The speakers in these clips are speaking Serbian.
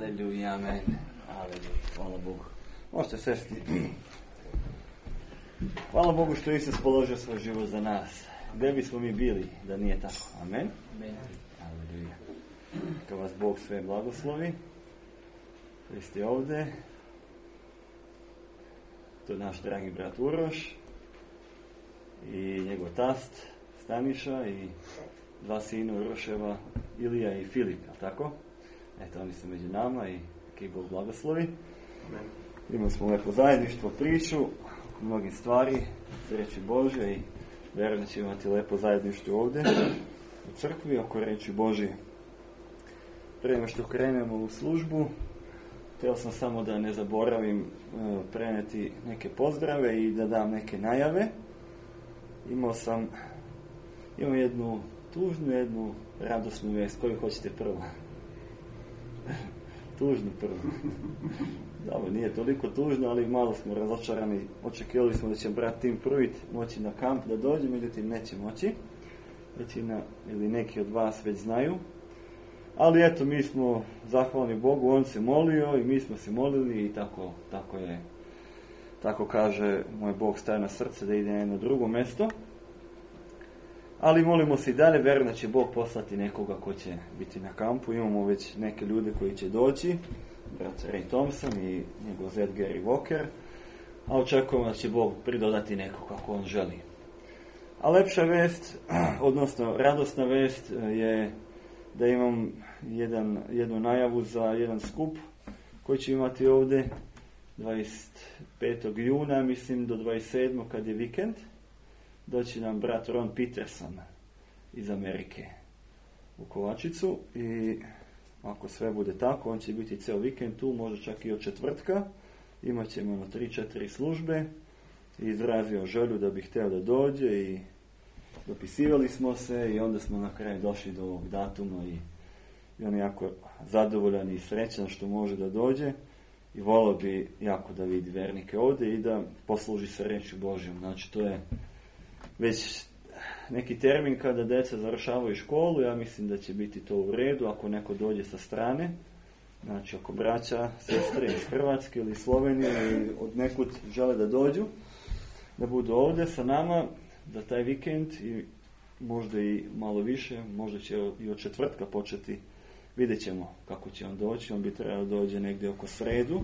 Aleluja, amen. Aleluja, hvala Bogu. Možete sesti. Hvala Bogu što je Isus položio svoj život za nas. Gdje bismo mi bili da nije tako? Amen. Amen. Aleluja. Neka vas Bog sve blagoslovi. Vi ste ovdje. To je naš dragi brat Uroš i njegov tast Staniša i dva sina Uroševa, Ilija i Filip, tako? Eto, oni su među nama i neka ih Bog blagoslovi. Imali smo lepo zajedništvo, priču o mnogim stvari, reči Božje i vjerujem da ćemo imati lepo zajedništvo ovdje u crkvi oko reči Božje. Prije nego što krenemo u službu, htio sam samo da ne zaboravim prenijeti neke pozdrave i da dam neke najave. Imam jednu tužnu, jednu radosnu vijest. Koju hoćete prvo? Tužnu prvo. Dobro, nije toliko tužno, ali malo smo razočarani. Očekivali smo da će brat Tim Pruvit moći na kamp da dođe, međutim neće moći. Većina ili neki od vas već znaju. Ali eto, mi smo zahvalni Bogu, on se molio i mi smo se molili i tako je. Tako kaže moj Bog staje na srce da ide na jedno drugo mjesto. Ali molimo se i dalje, vjerujem da će Bog poslati nekoga ko će biti na kampu. Imamo već neke ljude koji će doći, brat Ray Thompson i njegov zet Gary Walker, a očekujemo da će Bog pridodati nekog kako on želi. A lepša vest, odnosno radosna vest je da imam jednu najavu za jedan skup koji će imati ovdje 25. juna, mislim do 27. kad je vikend. Doći nam brat Ron Peterson iz Amerike u Kovačicu i ako sve bude tako, on će biti ceo vikend tu, možda čak i od četvrtka. Imat ćemo 3-4 službe i izrazio želju da bi htio da dođe i dopisivali smo se i onda smo na kraju došli do ovog datuma i on je jako zadovoljan i srećan što može da dođe i volio bi jako da vidi vernike ovdje i da posluži se reči Božjom. Znači to je već neki termin kada djeca završavaju školu, ja mislim da će biti to u redu ako neko dođe sa strane, znači ako braća, sestre iz Hrvatske ili Slovenije ili od nekud žele da dođu, da budu ovdje sa nama, da taj vikend i možda i malo više, možda će i od četvrtka početi, vidjet ćemo kako će on doći, on bi trebao dođe negdje oko sredu,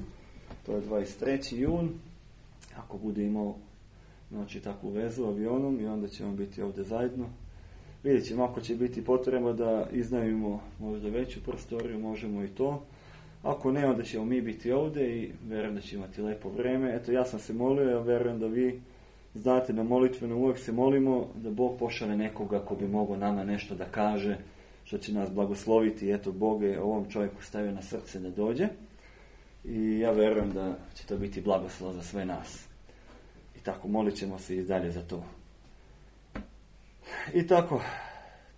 to je 23. jun, ako bude imao znači takvu vezu avionom i onda ćemo biti ovdje zajedno. Vidjet ćemo ako će biti potreba da iznajmimo možda veću prostoriju, možemo i to. Ako ne, onda ćemo mi biti ovdje i vjerujem da će imati lepo vrijeme. Eto, ja sam se molio, ja vjerujem da vi znate na molitveno uvijek se molimo da Bog pošalje nekoga ko bi mogao nama nešto da kaže, što će nas blagosloviti. Eto, Bog je ovom čovjeku stavio na srce da dođe i ja vjerujem da će to biti blagoslov za sve nas. I tako, molit ćemo se i dalje za to. I tako,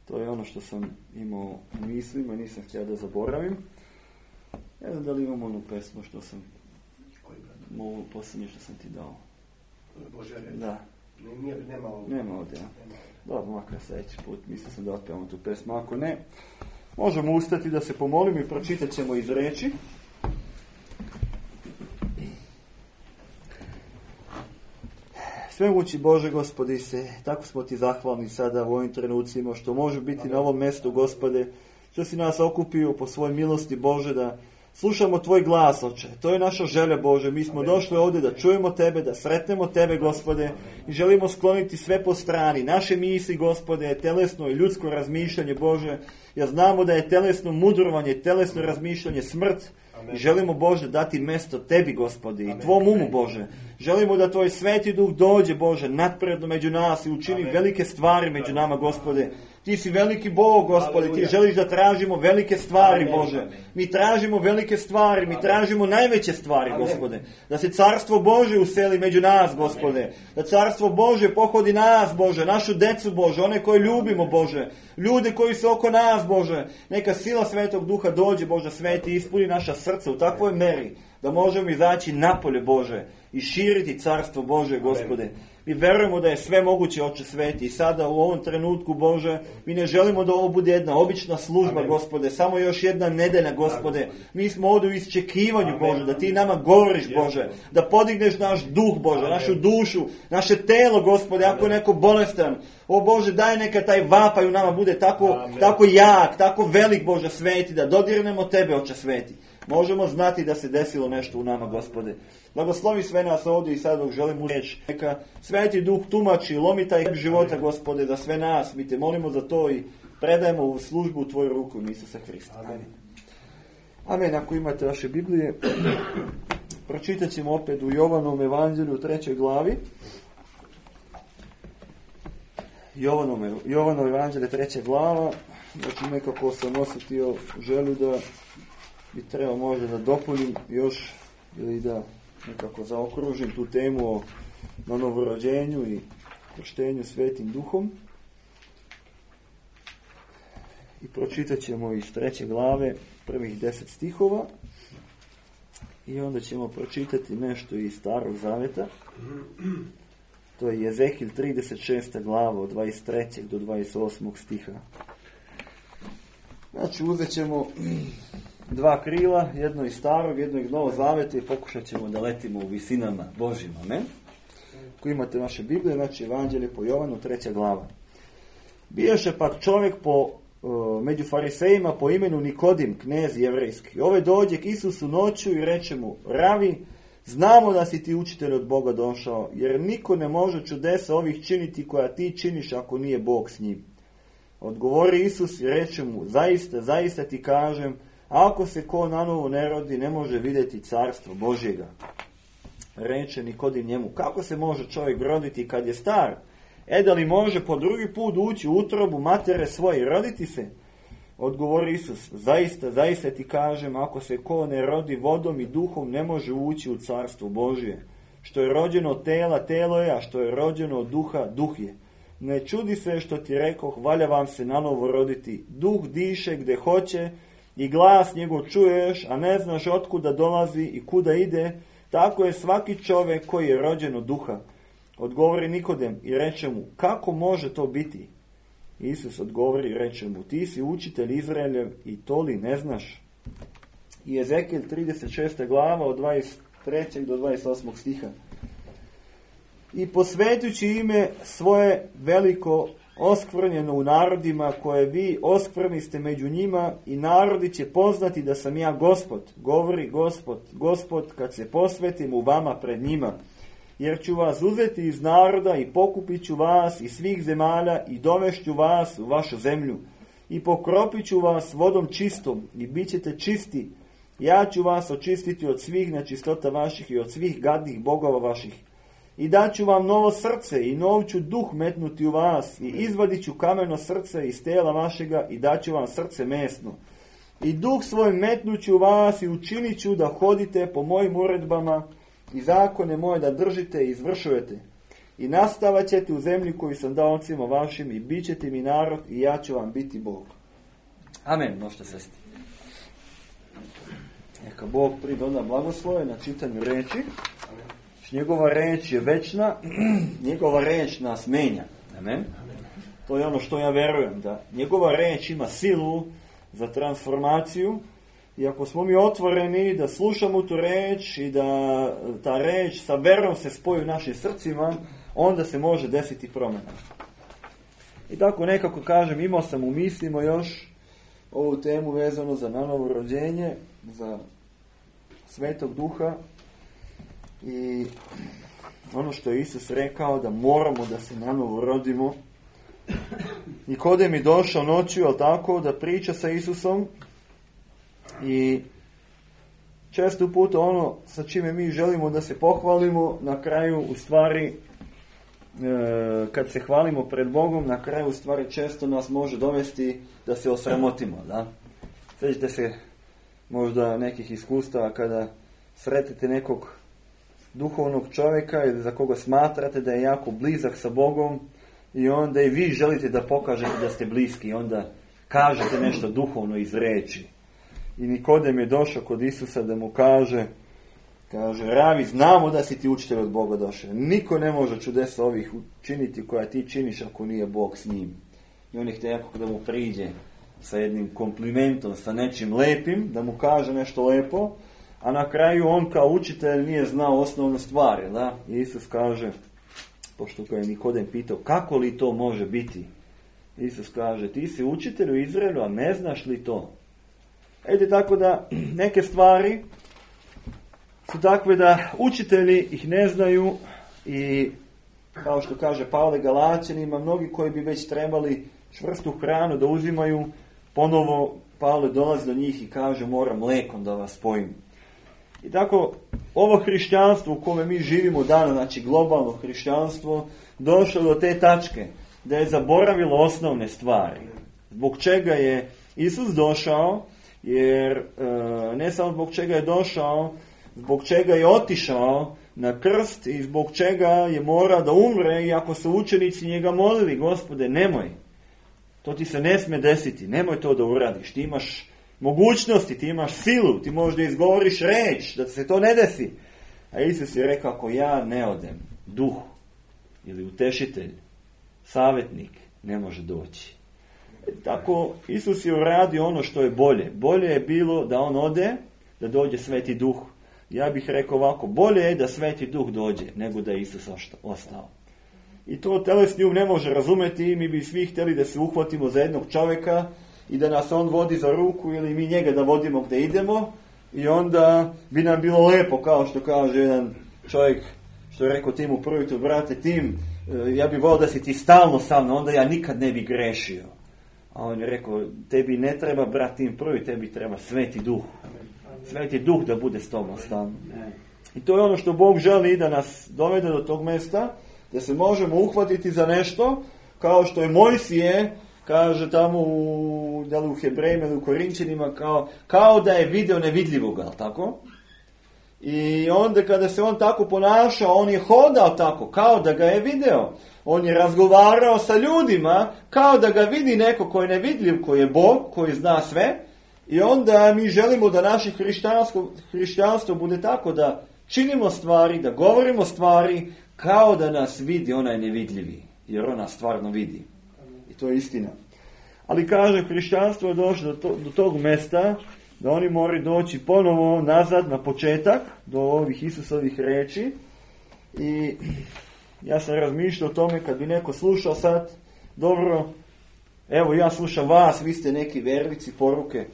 to je ono što sam imao u mislima, nisam htio da zaboravim. Ne znam da li imam onu pesmu što sam, ovo posljednje što sam ti dao. Božja reč. Da. Nema ovdje, ja. Dobro, makar sljedeći put, mislio sam da otpevamo tu pesmu. Ako ne, možemo ustati da se pomolimo i pročitat ćemo iz reči. Svemogući Bože, Gospodi se, tako smo ti zahvalni sada u ovim trenucima što može biti na ovom mjestu, Gospode, što si nas okupio po svojoj milosti, Bože, da slušamo tvoj glas, Oče. To je naša želja, Bože. Mi smo došli ovdje da čujemo tebe, da sretnemo tebe, Gospode, i želimo skloniti sve po strani. Naše misli, Gospode, telesno i ljudsko razmišljanje, Bože. Ja znamo da je telesno mudrovanje, telesno razmišljanje smrt. I želimo, Bože, dati mjesto tebi, Gospodi, i tvom umu, Bože. Želimo da tvoj sveti duh dođe, Bože, nadpredno među nas i učini velike stvari među nama, Gospode. Ti si veliki Bog, Gospode, ti želiš da tražimo velike stvari, Bože. Mi tražimo velike stvari, mi tražimo najveće stvari, Gospode. Da se carstvo Bože useli među nas, Gospode. Da carstvo Bože pohodi nas, Bože, našu decu, Bože, one koje ljubimo, Bože. Ljude koji su oko nas, Bože. Neka sila Svetog Duha dođe, Bože, sveti, ispuni naša srca u takvoj meri da možemo izaći napolje, Bože, i širiti carstvo Bože, Gospode. Mi verujemo da je sve moguće, Oče sveti. I sada u ovom trenutku, Bože, mi ne želimo da ovo bude jedna obična služba, Gospode, samo još jedna nedelja, Gospode. Mi smo ovdje u isčekivanju, Bože, da Ti nama govoriš, Bože, da podigneš naš duh, Bože, našu dušu, naše telo, Gospode, ako je neko bolestan. O Bože, daj neka taj vapaj u nama bude tako jak, tako velik, Bože sveti, da dodirnemo Tebe, Oče sveti. Možemo znati da se desilo nešto u nama, Gospode. Blagoslovi sve nas ovdje i sad dok želim reći. Neka Sveti Duh tumači, lomi taj života, Gospode, za sve nas. Mi Te molimo za to i predajemo u službu u Tvoju ruku, Isusa Hrista. Amen. Amen. Ako imate vaše Biblije, pročitat ćemo opet u Jovanom evanđelju u 3. glavi. Jovanom evanđelje 3. glava. Znači nekako sam osjetio želju da bi trebao možda da dopunim još ili da nekako zaokružim tu temu o novorođenju i krštenju Svetim Duhom. I pročitat ćemo iz 3. glave prvih 10 stihova i onda ćemo pročitati nešto iz Starog Zaveta. To je Jezekil 36. glava od 23. do 28. stiha. Znači uzet ćemo 2 krila, jedno iz Starog, jedno iz Novog Zaveta i pokušat ćemo da letimo u visinama Božjim. Amen. Ako imate vaše Biblije, znači Evanđelje po Jovanu, 3. glava. Bijaše pak čovjek među farisejima po imenu Nikodim, knez jevrejski. Ove dođe k Isusu noću i reče mu: Ravi, znamo da si ti učitelj od Boga došao, jer niko ne može čudesa ovih činiti koja ti činiš ako nije Bog s njim. Odgovori Isus i reče mu: Zaista, zaista ti kažem, ako se ko nanovo ne rodi, ne može vidjeti carstvo Božjega. Reče Nikodim njemu: Kako se može čovjek roditi kad je star? Da li može po drugi put ući u utrobu matere svoje i roditi se? Odgovori Isus: Zaista, zaista ti kažem, ako se ko ne rodi vodom i duhom, ne može ući u carstvo Božje. Što je rođeno od tela, telo je, a što je rođeno od duha, duh je. Ne čudi se što ti rekoh, valja vam se nanovo roditi. Duh diše gdje hoće i glas njegov čuješ, a ne znaš otkuda dolazi i kuda ide. Tako je svaki čovjek koji je rođen od duha. Odgovori Nikodem i reče mu: Kako može to biti? Isus odgovori i reče mu: Ti si učitelj Izraeljev i to li ne znaš? I Ezekil 36. glava od 23. do 28. stiha. I posvetujući ime svoje veliko oskvrnjeno u narodima koje vi oskvrniste među njima, i narodi će poznati da sam ja Gospod, govori Gospod, kad se posvetim u vama pred njima. Jer ću vas uzeti iz naroda i pokupit ću vas iz svih zemalja i dovešću vas u vašu zemlju. I pokropit ću vas vodom čistom i bit ćete čisti. Ja ću vas očistiti od svih nečistota vaših i od svih gadnih bogova vaših. I daću vam novo srce i nov ću duh metnuti u vas i izvadit ću kameno srce iz tela vašega i daću vam srce mesno. I duh svoj metnuću u vas i učinit ću da hodite po mojim uredbama i zakone moje da držite i izvršujete. I nastavat ćete u zemlji koju sam dao ocima vašim i bit ćete mi narod i ja ću vam biti Bog. Amen. Možete sesti. Neka Bog pridoda blagoslove na čitanju reči. Njegova reč je večna, njegova reč nas menja. Amen. To je ono što ja verujem, da njegova reč ima silu za transformaciju. I ako smo mi otvoreni da slušamo tu reč i da ta reč sa verom se spoji u našim srcima, onda se može desiti promjena. I tako nekako kažem, imao sam u mislima još ovu temu vezano za nanovo rođenje, za Svetog Duha i ono što je Isus rekao da moramo da se nanovo rodimo. Nikodem je došao noću, ali tako, da priča sa Isusom. I često puta ono sa čime mi želimo da se pohvalimo, na kraju u stvari kad se hvalimo pred Bogom, na kraju u stvari često nas može dovesti da se osramotimo. Da? Sjećate se možda nekih iskustava kada sretite nekog duhovnog čovjeka ili za koga smatrate da je jako blizak sa Bogom i onda i vi želite da pokažete da ste bliski i onda kažete nešto duhovno iz reči. I Nikodem je došao kod Isusa da mu kaže: Kaže, Ravi, znamo da si ti učitelj od Boga došao. Niko ne može čudesa ovih učiniti koja ti činiš ako nije Bog s njim. I on je htio da mu priđe sa jednim komplimentom, sa nečim lepim, da mu kaže nešto lepo, a na kraju on kao učitelj nije znao osnovne stvari. Da? I Isus kaže, pošto ga je Nikodem pitao, kako li to može biti? Isus kaže, ti si učitelj u Izraelu, a ne znaš li to? Ede tako da neke stvari su takve da učitelji ih ne znaju i kao što kaže Pavle Galaćanima, mnogi koji bi već trebali čvrstu hranu da uzimaju, ponovo Pavle dolazi do njih i kaže, moram mlekom da vas spojim. I tako, ovo hrišćanstvo u kome mi živimo danas, znači globalno hrišćanstvo, došlo do te tačke da je zaboravilo osnovne stvari. Zbog čega je Isus došao, jer ne samo zbog čega je došao, zbog čega je otišao na krst i zbog čega je morao da umre, i ako su učenici njega molili, Gospode, nemoj, to ti se ne sme desiti, nemoj to da uradiš, ti imaš mogućnosti, ti imaš silu, ti možeš da izgovoriš reč, da se to ne desi. A Isus je rekao, ako ja ne odem, duh ili utešitelj, savjetnik, ne može doći. Tako Isus je uradio ono što je bolje. Bolje je bilo da on ode, da dođe Sveti Duh. Ja bih rekao ovako, bolje je da Sveti Duh dođe, nego da je Isus ostao. I to telesni um ne može razumeti, mi bi svi htjeli da se uhvatimo za jednog čovjeka i da nas on vodi za ruku ili mi njega da vodimo gdje idemo i onda bi nam bilo lepo, kao što kaže jedan čovjek, što je rekao Timu prvi, brate Tim, ja bih volio da si ti stalno sa mnom, onda ja nikad ne bi grešio. A on je rekao, tebi ne treba brat Tim prvi, tebi treba Sveti Duh. Sveti Duh da bude s tobom stalno. I to je ono što Bog želi, da nas dovede do tog mjesta, da se možemo uhvatiti za nešto, kao što je Mojsije, kaže tamo u Hebrejima ili u Korinčanima, kao da je video nevidljivoga, tako? I onda kada se on tako ponašao, on je hodao tako, kao da ga je video. On je razgovarao sa ljudima, kao da ga vidi neko koji je nevidljiv, koji je Bog, koji zna sve. I onda mi želimo da naše hrišćanstvo bude tako, da činimo stvari, da govorimo stvari, kao da nas vidi onaj nevidljivi. Jer on nas stvarno vidi. I to je istina. Ali kaže, hrišćanstvo je došlo do tog mjesta da oni moraju doći ponovo nazad na početak, do ovih Isusovih reči. I ja sam razmišljao o tome, kad bi neko slušao sad, dobro, evo ja slušam vas, vi ste neki vernici, poruke.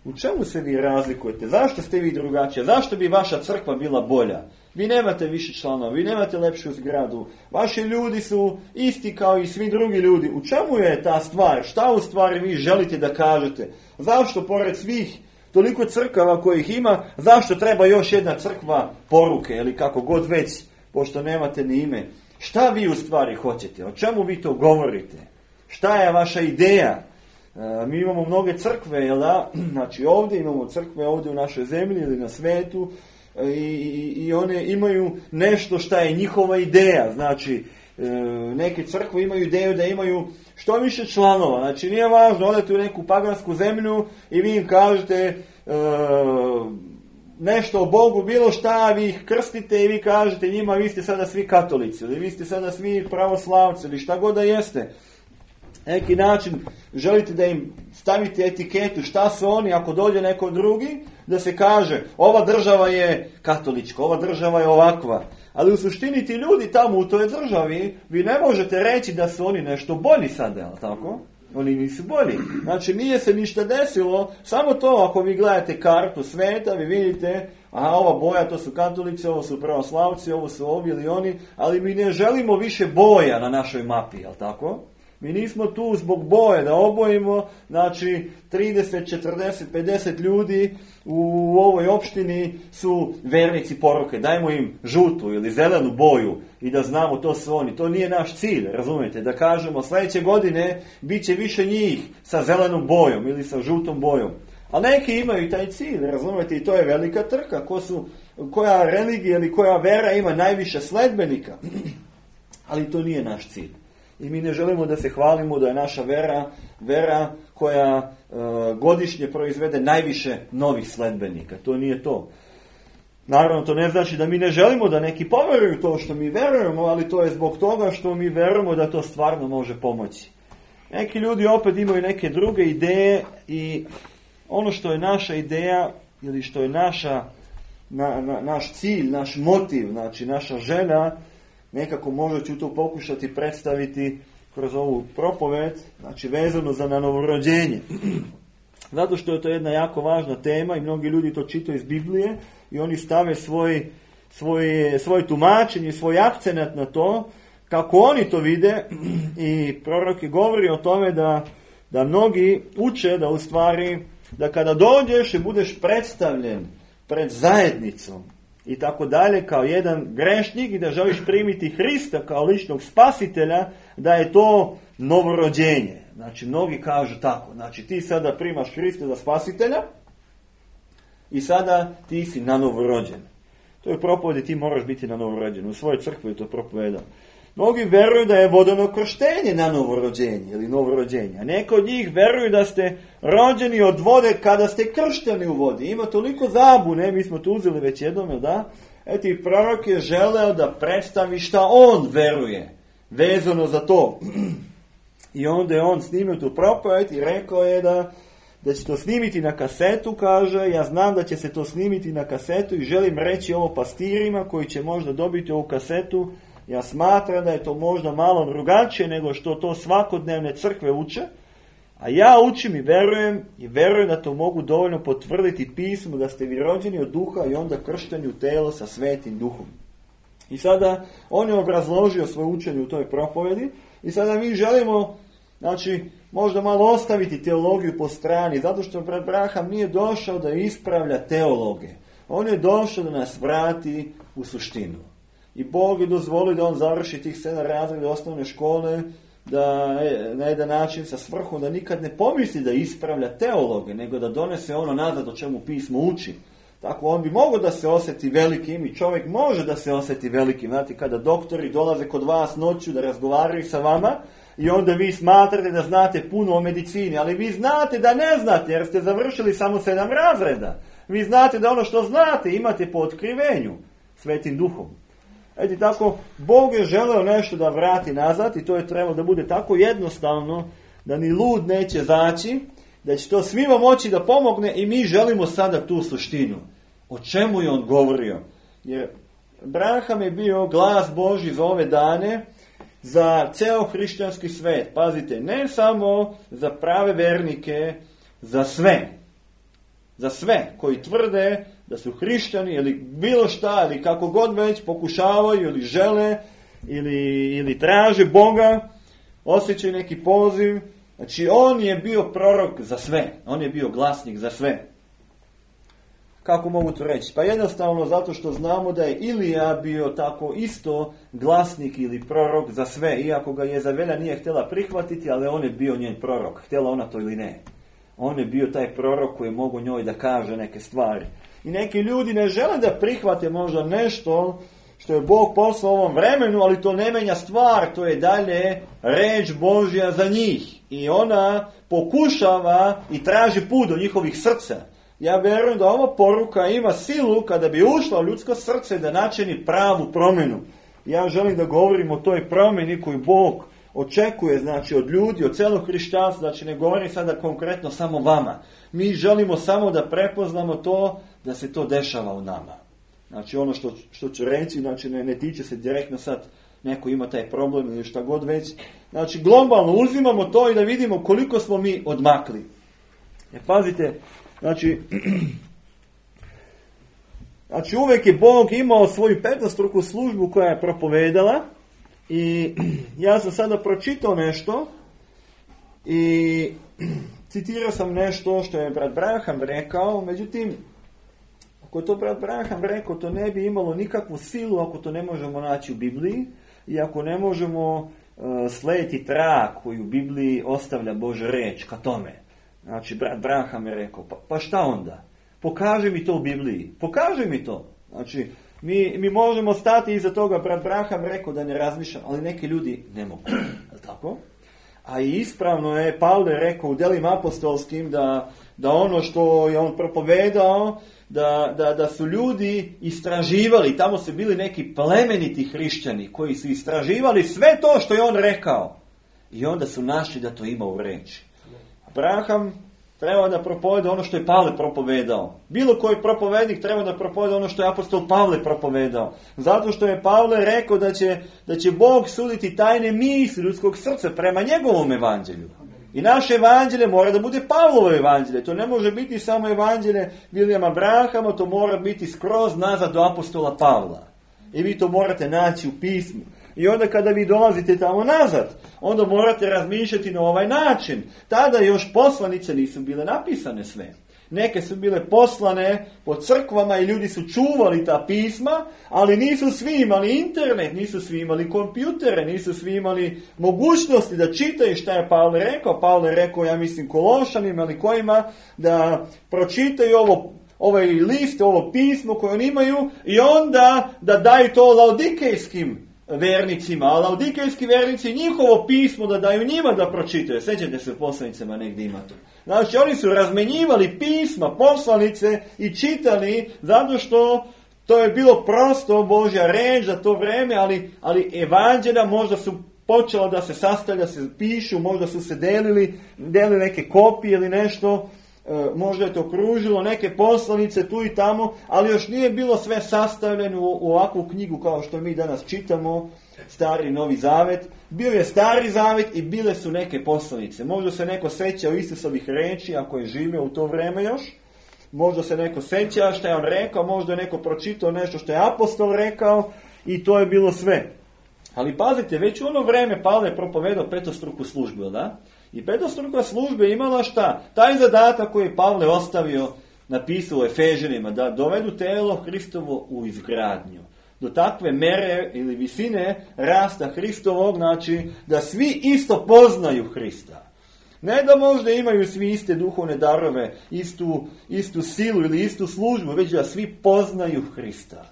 U čemu se vi razlikujete? Zašto ste vi drugačiji? Zašto bi vaša crkva bila bolja? Vi nemate više članova, vi nemate lepšu zgradu. Vaši ljudi su isti kao i svi drugi ljudi. U čemu je ta stvar? Šta u stvari vi želite da kažete? Zašto pored svih toliko crkava kojih ima, zašto treba još jedna crkva poruke ili kako god već, pošto nemate ni ime? Šta vi u stvari hoćete? O čemu vi to govorite? Šta je vaša ideja? Mi imamo mnoge crkve, jel da? Znači ovdje imamo crkve, ovdje u našoj zemlji ili na svetu, i one imaju nešto šta je njihova ideja. Znači neke crkve imaju ideju da imaju što više članova. Znači nije važno, odete u neku pagansku zemlju i vi im kažete nešto o Bogu, bilo šta, vi ih krstite i vi kažete njima, vi ste sada svi katolici ili vi ste sada svi pravoslavci ili šta god da jeste. Neki način želite da im stavite etiketu šta su oni, ako dođe neko drugi, da se kaže ova država je katolička, ova država je ovakva. Ali u suštini ti ljudi tamo u toj državi, vi ne možete reći da su oni nešto bolji sada, jel tako? Oni nisu bolji. Znači nije se ništa desilo, samo to ako vi gledate kartu sveta, vi vidite, aha, ova boja to su katolici, ovo su pravoslavci, ovo su ovi ili oni, ali mi ne želimo više boja na našoj mapi, jel tako? Mi nismo tu zbog boje da obojimo, znači 30, 40, 50 ljudi u ovoj opštini su vernici poruke. Dajmo im žutu ili zelenu boju i da znamo to su oni. To nije naš cilj, razumijete? Da kažemo sljedeće godine bit će više njih sa zelenom bojom ili sa žutom bojom. A neki imaju taj cilj, razumijete? I to je velika trka. Koja religija ili koja vera ima najviše sledbenika. Ali to nije naš cilj. I mi ne želimo da se hvalimo da je naša vera koja godišnje proizvede najviše novih sledbenika. To nije to. Naravno, to ne znači da mi ne želimo da neki poveruju to što mi verujemo, ali to je zbog toga što mi verujemo da to stvarno može pomoći. Neki ljudi opet imaju neke druge ideje i ono što je naša ideja ili što je naš cilj, naš motiv, znači naša želja, nekako možda ću to pokušati predstaviti kroz ovu propoved, znači vezano za novorođenje. Zato što je to jedna jako važna tema i mnogi ljudi to čitaju iz Biblije i oni stave svoj tumačenje, svoj akcenat na to, kako oni to vide, i prorok je govori o tome da mnogi uče da u stvari, da kada dođeš i budeš predstavljen pred zajednicom i tako dalje kao jedan grešnik i da želiš primiti Hrista kao ličnog spasitelja, da je to novorođenje. Znači, mnogi kažu tako. Znači, ti sada primaš Hrista za spasitelja i sada ti si na novorođen. To je propovedi, ti moraš biti na novorođen. U svojoj crkvi je to propovedao. Mnogi veruju da je vodeno krštenje na novorođenje ili novorođenje. A neko od njih veruju da ste rođeni od vode kada ste kršteni u vodi. Ima toliko zabune, mi smo to uzeli već jednom, da? Eti, prorok je želeo da predstavi šta on veruje vezano za to. I onda je on snimio tu propoved i rekao je da će to snimiti na kasetu, kaže, ja znam da će se to snimiti na kasetu i želim reći ovo pastirima koji će možda dobiti ovu kasetu. Ja smatram da je to možda malo drugačije nego što to svakodnevne crkve uče, a ja učim i verujem da to mogu dovoljno potvrditi pismu da ste vi rođeni od duha i onda kršteni u telo sa Svetim Duhom. I sada on je obrazložio svoje učenje u toj propovedi i sada mi želimo, znači, možda malo ostaviti teologiju po strani, zato što brat Braham nije došao da ispravlja teologe. On je došao da nas vrati u suštinu. I Bog je dozvolio da on završi tih 7 razreda osnovne škole, da na jedan način sa svrhom da nikad ne pomisli da ispravlja teologe, nego da donese ono nazad o čemu pismo uči. Tako on bi mogao da se osjeti velikim i čovjek može da se osjeti velikim. Znate, kada doktori dolaze kod vas noću da razgovaraju sa vama i onda vi smatrate da znate puno o medicini, ali vi znate da ne znate jer ste završili samo 7 razreda. Vi znate da ono što znate imate po otkrivenju Svetim Duhom. Eto tako, Bog je želeo nešto da vrati nazad i to je trebalo da bude tako jednostavno da ni lud neće zaći, da će to svima moći da pomogne i mi želimo sada tu suštinu. O čemu je on govorio? Jer Braham je bio glas Božji za ove dane, za ceo hrišćanski svet. Pazite, ne samo za prave vernike, za sve. Za sve koji tvrde da su hrišćani ili bilo šta, ili kako god već pokušavaju ili žele ili traže Boga, osjećaju neki poziv. Znači on je bio prorok za sve. On je bio glasnik za sve. Kako mogu to reći? Pa jednostavno zato što znamo da je Ilija bio tako isto glasnik ili prorok za sve. Iako ga Jezabela nije htjela prihvatiti, ali on je bio njen prorok. Htjela ona to ili ne. On je bio taj prorok koji je mogao njoj da kaže neke stvari. I neki ljudi ne žele da prihvate možda nešto što je Bog poslao u ovom vremenu, ali to ne menja stvar, to je dalje reč Božja za njih. I ona pokušava i traži put do njihovih srca. Ja vjerujem da ova poruka ima silu kada bi ušla u ljudsko srce da načini pravu promjenu. Ja želim da govorim o toj promjeni koju Bog očekuje, znači od ljudi, od celog hrišćanstva, znači ne govorim sada konkretno samo vama. Mi želimo samo da prepoznamo to, da se to dešava u nama. Znači ono što ću reći, znači ne tiče se direktno sad neko ima taj problem ili šta god već. Znači globalno uzimamo to i da vidimo koliko smo mi odmakli. Pazite, znači uvijek je Bog imao svoju 15-struku službu koja je propovedala. I ja sam sada pročitao nešto i citirao sam nešto što je brat Braham rekao, međutim, ako to brat Braham rekao, to ne bi imalo nikakvu silu ako to ne možemo naći u Bibliji i ako ne možemo slijediti trag koji u Bibliji ostavlja Božja reč ka tome. Znači, brat Braham je rekao, pa šta onda? Pokaži mi to u Bibliji, pokaži mi to. Znači, mi možemo stati iza toga, brat Braham rekao da ne razmišljam, ali neki ljudi ne mogu, tako? A i ispravno je Pavle rekao u Djelima apostolskim da ono što je on propovedao, da su ljudi istraživali, tamo su bili neki plemeniti hrišćani koji su istraživali sve to što je on rekao. I onda su našli da to ima u reči. Abraham treba da propoveda ono što je Pavle propovedao. Bilo koji propovednik treba da propoveda ono što je apostol Pavle propovedao. Zato što je Pavle rekao da će Bog suditi tajne misli ljudskog srca prema njegovom evanđelju. I naše evanđelje mora da bude Pavlovo evanđelje. To ne može biti samo evanđelje Vilijama Abrahama, to mora biti skroz nazad do apostola Pavla. I vi to morate naći u pismu. I onda kada vi dolazite tamo nazad, onda morate razmišljati na ovaj način. Tada još poslanice nisu bile napisane sve. Neke su bile poslane po crkvama i ljudi su čuvali ta pisma, ali nisu svi imali internet, nisu svi imali kompjutere, nisu svi imali mogućnosti da čitaju šta je Pavle rekao. Pavle je rekao, ja mislim Kološanima ili kojima, da pročitaju ovaj list, ovo pismo koje oni imaju i onda da daju to laodikejskim vernicima, a laodikejski vernici njihovo pismo da daju njima da pročitaju. Sjećate se u poslanicama negdje ima to. Znači oni su razmenjivali pisma, poslanice i čitali zato što to je bilo prosto Božja reč za to vreme, ali evanđelja možda su počela da se sastavlja, se pišu, možda su se delili neke kopije ili nešto, možda je to kružilo neke poslanice tu i tamo, ali još nije bilo sve sastavljeno u ovakvu knjigu kao što mi danas čitamo, Stari i Novi Zavet. Bio je Stari Zavet i bile su neke poslanice. Možda se neko seća Isusovih reči ako je živio u to vreme još. Možda se neko seća što je on rekao, možda je neko pročitao nešto što je apostol rekao i to je bilo sve. Ali pazite, već u ono vreme Pavle je propovedao petostruku službu, da? I petostruka služba imala šta? Taj zadatak koji je Pavle ostavio, napisao u Efežanima, da dovedu telo Hristovo u izgradnju. Do takve mere ili visine rasta Hristovog, znači da svi isto poznaju Hrista. Ne da možda imaju svi iste duhovne darove, istu silu ili istu službu, već da svi poznaju Hrista.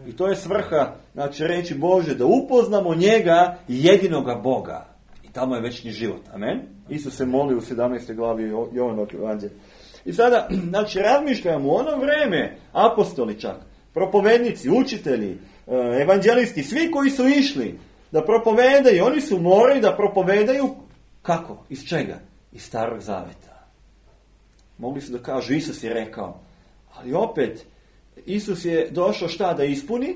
I to je svrha, znači reći Bože, da upoznamo njega, jedinoga Boga. I tamo je večni život. Amen? Isus se moli u 17. glavi Jovanovog evanđelja. I sada, znači, razmišljamo u ono vreme, apostoli čak, propovednici, učitelji, evanđelisti, svi koji su išli da propovedaju, oni su morali da propovedaju kako? Iz čega? Iz Starog Zaveta. Mogli su da kažu, Isus je rekao, ali opet, Isus je došao šta da ispuni?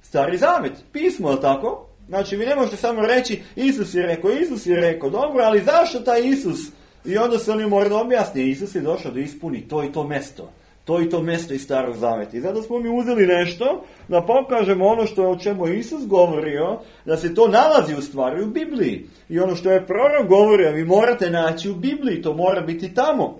Stari Zavet, pismo, je tako? Znači, vi ne možete samo reći, Isus je rekao, dobro, ali zašto taj Isus? I onda se oni moraju da objasni, Isus je došao da ispuni to i to mesto. To i to mesto iz Starog Zaveta. I zato smo mi uzeli nešto da pokažemo ono što je o čemu Isus govorio, da se to nalazi u stvari u Bibliji. I ono što je prorok govorio, vi morate naći u Bibliji, to mora biti tamo.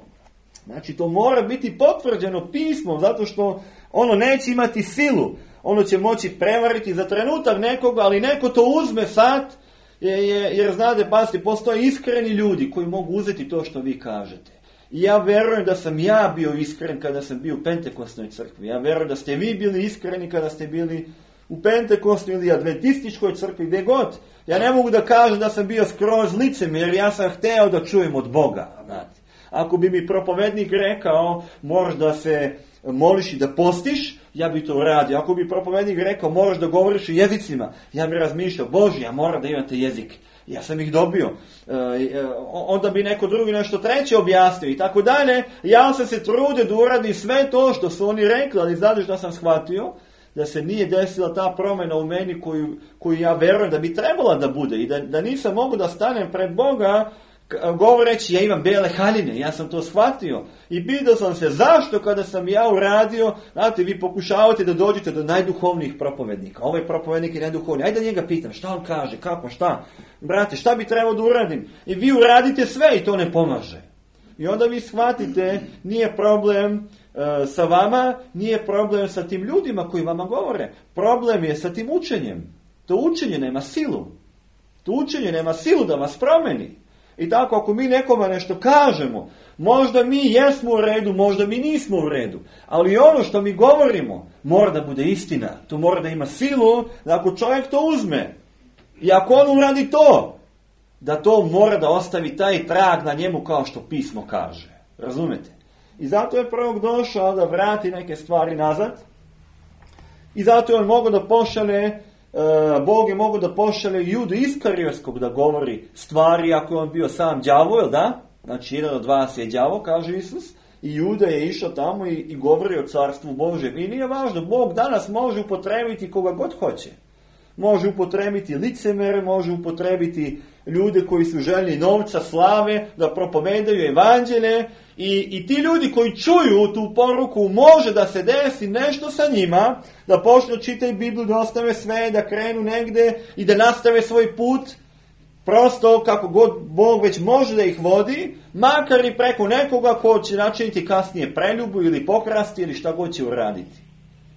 Znači, to mora biti potvrđeno pismom, zato što ono neće imati silu. Ono će moći prevariti za trenutak nekoga, ali neko to uzme sad, jer znate, pazite, postoje iskreni ljudi koji mogu uzeti to što vi kažete. I ja verujem da sam ja bio iskren kada sam bio u Pentekostnoj crkvi. Ja verujem da ste vi bili iskreni kada ste bili u Pentekostnoj ili adventističkoj crkvi, gdje god. Ja ne mogu da kažem da sam bio skroz licemjer, jer ja sam hteo da čujem od Boga. Znate. Ako bi mi propovednik rekao, moraš da se moliš i da postiš, ja bi to uradio. Ako bi propovednik rekao, moraš da govoriš u jezicima, ja bi razmišljao, Bože, ja moram da imate jezik. Ja sam ih dobio. Onda bi neko drugi nešto treće objasnio i tako dalje. Ja sam se trudio da uradim sve to što su oni rekli, ali znate što sam shvatio? Da se nije desila ta promjena u meni koju ja verujem da bi trebala da bude. I da nisam mogu da stanem pred Boga govoreći, ja imam bele haljine, ja sam to shvatio. I pitao sam se zašto kada sam ja uradio, znate, vi pokušavate da dođete do najduhovnijih propovednika. Ovaj propovednik je najduhovniji. Ajde da njega pitam, šta on kaže, kako, šta? Brate, šta bi trebao da uradim? I vi uradite sve i to ne pomaže. I onda vi shvatite, nije problem sa vama, nije problem sa tim ljudima koji vama govore. Problem je sa tim učenjem. To učenje nema silu. To učenje nema silu da vas promeni. I tako, ako mi nekoma nešto kažemo, možda mi jesmo u redu, možda mi nismo u redu. Ali ono što mi govorimo mora da bude istina. To mora da ima silu, da ako čovjek to uzme i ako on uradi to, da to mora da ostavi taj trag na njemu kao što pismo kaže. Razumete? I zato je prorok došao da vrati neke stvari nazad. I zato je on mogao da pošalje, Bog je mogao da pošalje Judu Iskarijotskog da govori stvari ako je on bio sam đavo, jel da? Znači jedan od vas je đavo, kaže Isus. I Juda je išao tamo i govori o carstvu Božjem. I nije važno, Bog danas može upotrebiti koga god hoće. Može upotrebiti licemere, može upotrebiti ljude koji su željni novca, slave, da propovedaju evanđelje. I ti ljudi koji čuju tu poruku, može da se desi nešto sa njima, da počnu čitati Bibliju, da ostave sve, da krenu negde i da nastave svoj put. Prosto kako god Bog već može da ih vodi, makar i preko nekoga ko će načiniti kasnije preljubu ili pokrasti ili šta god će uraditi.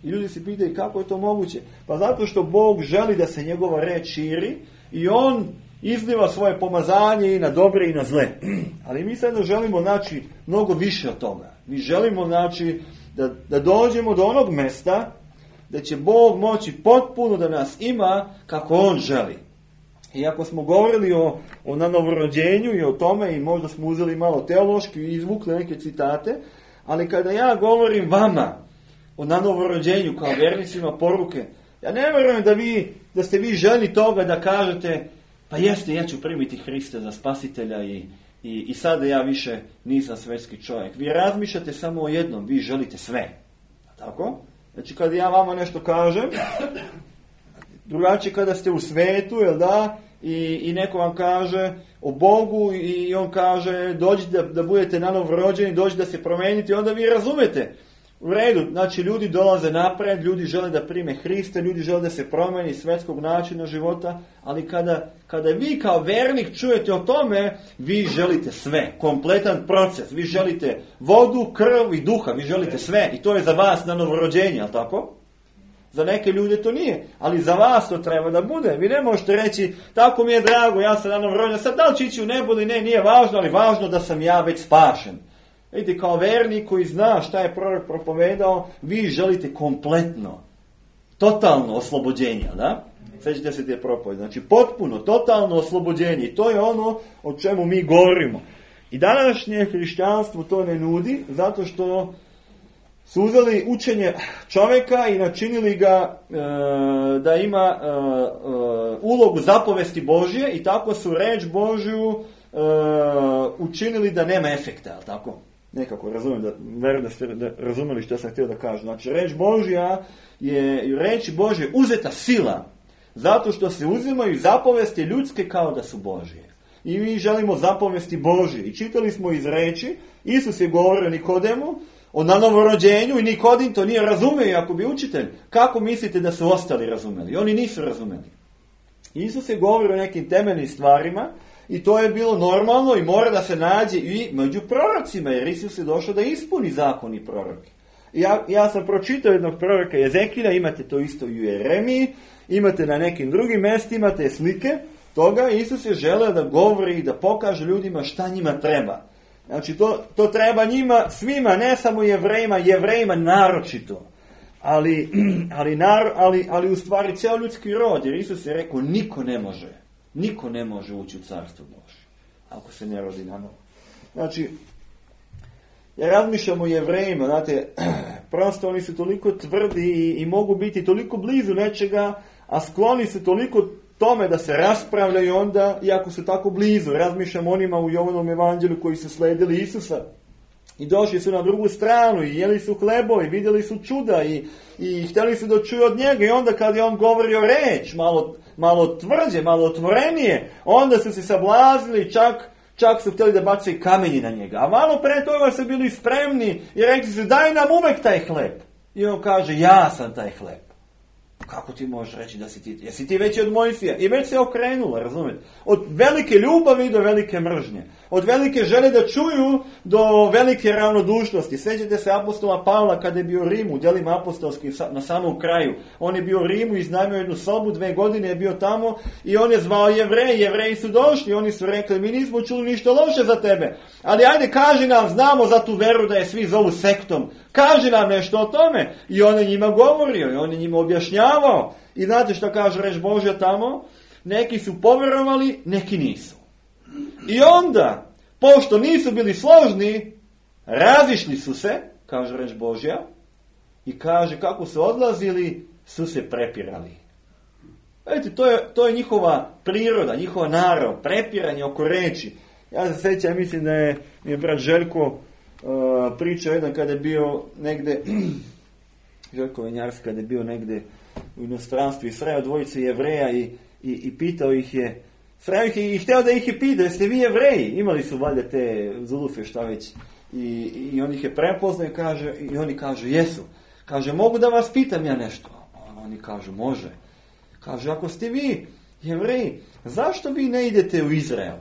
I ljudi se pitaju kako je to moguće. Pa zato što Bog želi da se njegova reč širi i on izliva svoje pomazanje i na dobre i na zle. Ali mi sad želimo znači mnogo više od toga. Mi želimo znači da dođemo do onog mesta da će Bog moći potpuno da nas ima kako on želi. I ako smo govorili o novorođenju i o tome i možda smo uzeli malo teološki i izvukli neke citate, ali kada ja govorim vama o novorođenju kao vernicima poruke, ja ne vjerujem da ste vi željni toga da kažete pa jeste, ja ću primiti Hrista za spasitelja i sada ja više nisam svetski čovjek. Vi razmišljate samo o jednom, vi želite sve. Tako? Znači kada ja vama nešto kažem, drugačije kada ste u svetu, jel da, i neko vam kaže o Bogu i on kaže dođite da budete nanovo rođeni, dođite da se promenite, onda vi razumete. U redu, znači ljudi dolaze napred, ljudi žele da prime Hrista, ljudi žele da se promeni svetskog načina života, ali kada vi kao vernik čujete o tome, vi želite sve, kompletan proces, vi želite vodu, krv i duha, vi želite sve i to je za vas novorođenje, ali tako? Za neke ljude to nije, ali za vas to treba da bude. Vi ne možete reći, tako mi je drago, ja sam novorođen, sad da li će ići u nebo ili ne, nije važno, ali važno da sam ja već spašen. Vidite, kao vernik koji zna šta je prorok propovedao, vi želite kompletno, totalno oslobođenje, da? Sjećate se te propovedi. Znači, potpuno, totalno oslobođenje. I to je ono o čemu mi govorimo. I današnje hrišćanstvo to ne nudi, zato što su uzeli učenje čovjeka i načinili ga da ima ulogu zapovesti Božje i tako su reč Božju učinili da nema efekta, ali tako? Nekako razumijem, verujem da ste razumeli što sam htio da kažem. Znači, reč Božja je reč Božje uzeta sila, zato što se uzimaju zapovesti ljudske kao da su Božje. I mi želimo zapovesti Božje. I čitali smo iz reči, Isus je govorio Nikodemu o novorođenju i Nikodim to nije razumio, ako bi učitelj. Kako mislite da su ostali razumeli? Oni nisu razumeli. Isus je govorio o nekim temeljnim stvarima i to je bilo normalno i mora da se nađe i među prorocima, jer Isus je došao da ispuni zakon i proroke. Ja sam pročitao jednog proroka Jezekilja, imate to isto i u Jeremiji, imate na nekim drugim mjestima te slike toga. Isus je želeo da govori i da pokaže ljudima šta njima treba. Znači to treba njima svima, ne samo Jevrejima naročito. Ali u stvari cijel ljudski rod, jer Isus je rekao niko ne može ući u carstvo Božje ako se ne rodi na novo. Znači, ja razmišljam o Jevrejima, znate, prosto oni su toliko tvrdi i mogu biti toliko blizu nečega, a skloni su toliko tome da se raspravljaju onda, iako su tako blizu. Razmišljam onima u Jovanom evanđelju koji su sledili Isusa i došli su na drugu stranu i jeli su hlebo i vidjeli su čuda i htjeli su da čuju od njega, i onda kad je on govorio reč malo tvrđe, malo otvorenije, onda su se sablazili, čak su htjeli da bacaju kamenje na njega. A malo pre toga su bili spremni i rekli su daj nam uvek taj hleb. I on kaže ja sam taj hleb. Kako ti možeš reći da si ti? Jesi ti veći od Mojsija? I već se okrenula, razumijete? Od velike ljubavi do velike mržnje. Od velike želje da čuju do velike ravnodušnosti. Sjećate se apostola Pavla kada je bio u Rimu, djelima apostolski na samom kraju. On je bio u Rimu, iznajmio jednu sobu, 2 godine je bio tamo i on je zvao Jevreji. Jevreji su došli, oni su rekli mi nismo čuli ništa loše za tebe. Ali ajde kaži nam, znamo za tu veru da je svi zovu sektom. Kaži nam nešto o tome. I on je njima govorio i on je njima objašnjavao. I znate što kaže reč Božja tamo? Neki su povjerovali, neki nisu. I onda, pošto nisu bili složni, razišli su se, kaže reč Božja, i kaže kako su odlazili, su se prepirali. Vidite, to je njihova priroda, njihova narav, prepiranje oko reči. Ja se sjećam, mislim da je brat Željko pričao jedan kada je bio negde, Željko Venjarski kada je bio negde u inostranstvu i sreo dvojicu Jevreja i pitao ih je, sreo ih je i htio da ih je pitao, jeste vi Jevreji? Imali su valjda te zulufe, šta već. I on ih je prepoznao i oni kažu, jesu. Kaže, mogu da vas pitam ja nešto? Oni kažu, može. Kaže, ako ste vi Jevreji, zašto vi ne idete u Izrael?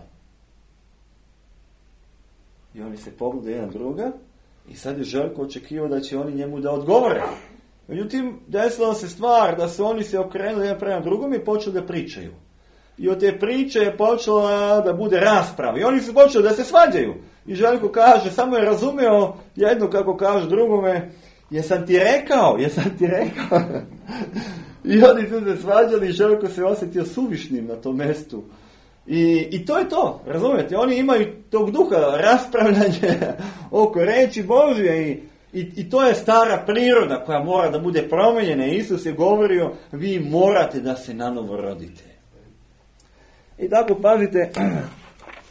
I oni se pogledaju jedan druga i sad je Željko očekivao da će oni njemu da odgovore. Međutim, desila se stvar da su oni se okrenuli jedan prema drugom i počeli da pričaju. I od te priče je počela da bude rasprava. I oni su počeli da se svađaju. I Željko kaže, samo je razumio jedno kako kaže drugome, jesam ti rekao. I oni su se svađali i Željko se osjetio suvišnim na tom mjestu. I to je to, razumijete? Oni imaju tog duha raspravljanja oko reči Božje i to je stara priroda koja mora da bude promijenjena. Isus je govorio, vi morate da se nanovo rodite. I tako pazite,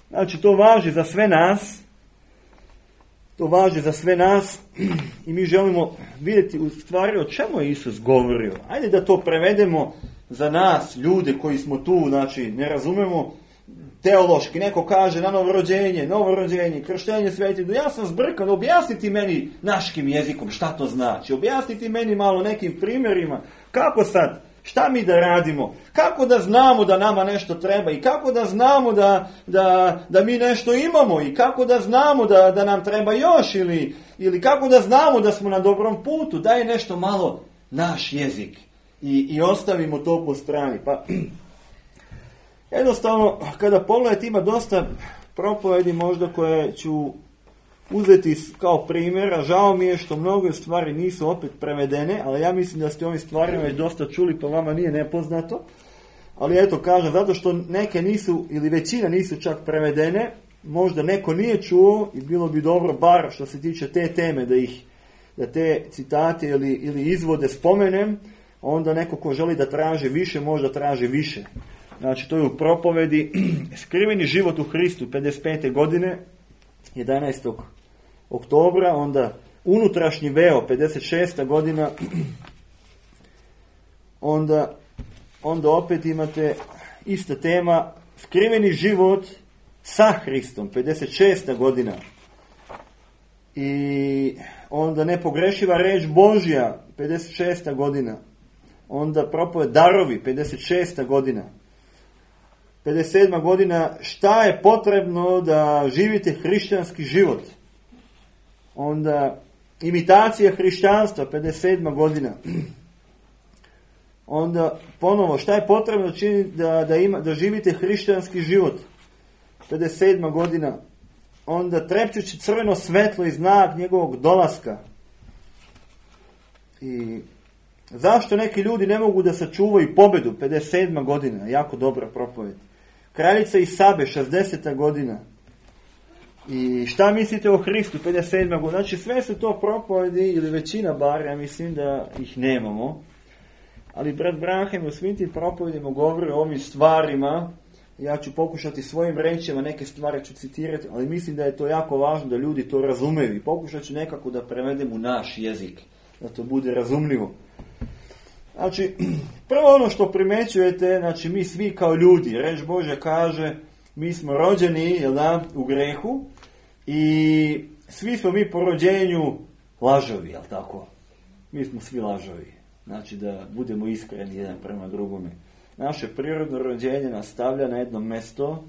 znači to važi za sve nas. To važi za sve nas i mi želimo vidjeti u stvari o čemu je Isus govorio. Ajde da to prevedemo za nas, ljude koji smo tu, znači ne razumemo teološki. Neko kaže na novorođenje, krštenje Sveti Duh. Ja sam zbrkan, objasniti meni naškim jezikom šta to znači. Objasniti meni malo nekim primjerima. Kako sad? Šta mi da radimo? Kako da znamo da nama nešto treba? I kako da znamo da mi nešto imamo? I kako da znamo da nam treba još? Ili kako da znamo da smo na dobrom putu? Daj nešto malo naš jezik. I ostavimo to po strani. Pa jednostavno, kada pogledate, ima dosta propovedi možda koje ću uzeti kao primjera. Žao mi je što mnoge stvari nisu opet prevedene, ali ja mislim da ste ovim stvarima već dosta čuli, pa vama nije nepoznato. Ali eto, kažem, zato što neke nisu, ili većina nisu čak prevedene, možda neko nije čuo i bilo bi dobro, bar što se tiče te teme, da te citate ili izvode spomenem, onda neko ko želi da traži više, možda traži više. Znači, to je u propovedi Skriveni život u Hristu, 55. godine, 11. oktobra, onda Unutrašnji veo, 56. godina, onda opet imate ista tema, Skriveni život sa Hristom, 56. godina. I onda Nepogrešiva reč Božja, 56. godina. Onda propoved Darovi, 56. godina. 57. godina, šta je potrebno da živite hrišćanski život. Onda imitacija hrišćanstva, 57. godina. Onda ponovo, šta je potrebno činiti da živite hrišćanski život, 57. godina. Onda trepćući crveno svetlo i znak njegovog dolaska. I zašto neki ljudi ne mogu da sačuvaju pobedu, 57. godina, jako dobra propoved. Kraljica i Sabe, 60. godina. I šta mislite o Hristu, 57. godina. Znači sve su to propovedi, ili većina bar, ja mislim da ih nemamo. Ali brat Branhem u svim tim propovedima govori o ovim stvarima. Ja ću pokušati svojim rečima, neke stvari ću citirati, ali mislim da je to jako važno da ljudi to razumeju. I pokušat ću nekako da prevedem u naš jezik, da to bude razumljivo. Znači, prvo ono što primećujete, znači mi svi kao ljudi, reč Božja kaže, mi smo rođeni, u grehu i svi smo mi po rođenju lažovi, jel tako? Mi smo svi lažovi. Znači da budemo iskreni jedan prema drugome. Naše prirodno rođenje nas stavlja na jedno mjesto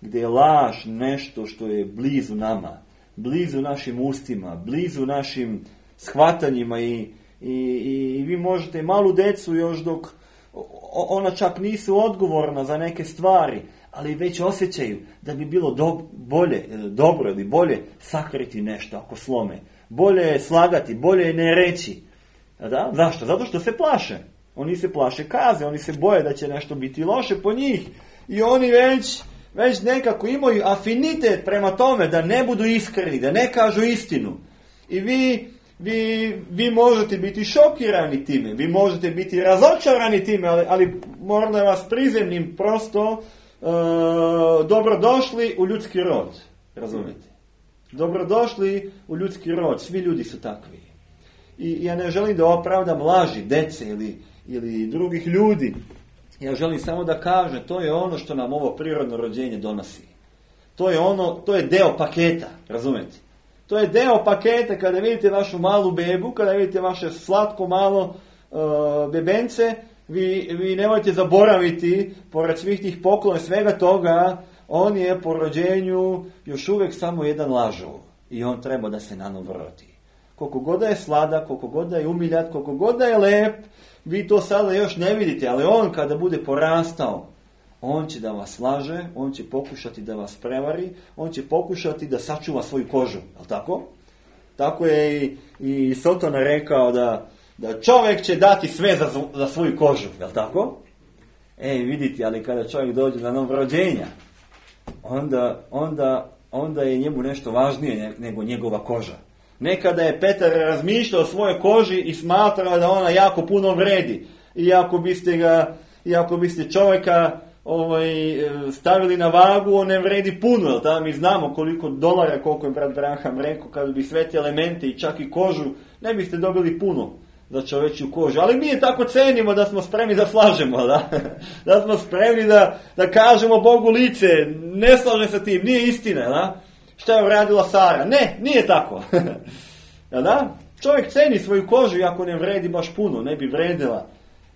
gdje je laž nešto što je blizu nama, blizu našim ustima, blizu našim shvatanjima i vi možete malu decu još dok ona čak nisu odgovorna za neke stvari, ali već osjećaju da bi bilo dobro ili bolje sakriti nešto ako slome. Bolje je slagati, bolje je ne reći. Da? Zašto? Zato što se plaše. Oni se plaše kaze, oni se boje da će nešto biti loše po njih. I oni već nekako imaju afinitet prema tome da ne budu iskreni, da ne kažu istinu. I vi možete biti šokirani time, vi možete biti razočarani time, ali moram da vas prizemnim prosto dobrodošli u ljudski rod. Razumijete? Dobrodošli u ljudski rod, svi ljudi su takvi. I ja ne želim da opravdam laži dece ili drugih ljudi. Ja želim samo da kažem, to je ono što nam ovo prirodno rođenje donosi. To je deo paketa, razumijete? To je deo paketa kada vidite vašu malu bebu, kada vidite vaše slatko malo bebence, vi nemojte zaboraviti, pored svih tih poklona, svega toga, on je po rođenju još uvijek samo jedan lažov. I on treba da se nanovo rodi. Koliko god da je sladak, koliko god da je umiljat, koliko god da je lep, vi to sada još ne vidite, ali on kada bude porastao, on će da vas laže, on će pokušati da vas prevari, on će pokušati da sačuva svoju kožu, je li tako? Tako je i Sotona rekao da čovjek će dati sve za svoju kožu, je li tako? Vidite, ali kada čovjek dođe na novo rođenja, onda je njemu nešto važnije nego njegova koža. Nekada je Petar razmišljao o svojoj koži i smatrao da ona jako puno vredi. Iako biste čovjeka stavili na vagu, on ne vredi puno. Da mi znamo koliko dolara, koliko je brat Branham rekao, kada bi sve te elemente i čak i kožu, ne biste dobili puno za čovječju kožu. Ali mi je tako cenimo da smo spremni da slažemo, da smo spremni da kažemo Bogu lice, ne slažem sa tim, nije istina, da? Šta je uradila Sara? Ne, nije tako. Da? Čovjek ceni svoju kožu, iako ne vredi baš puno, ne bi vredila.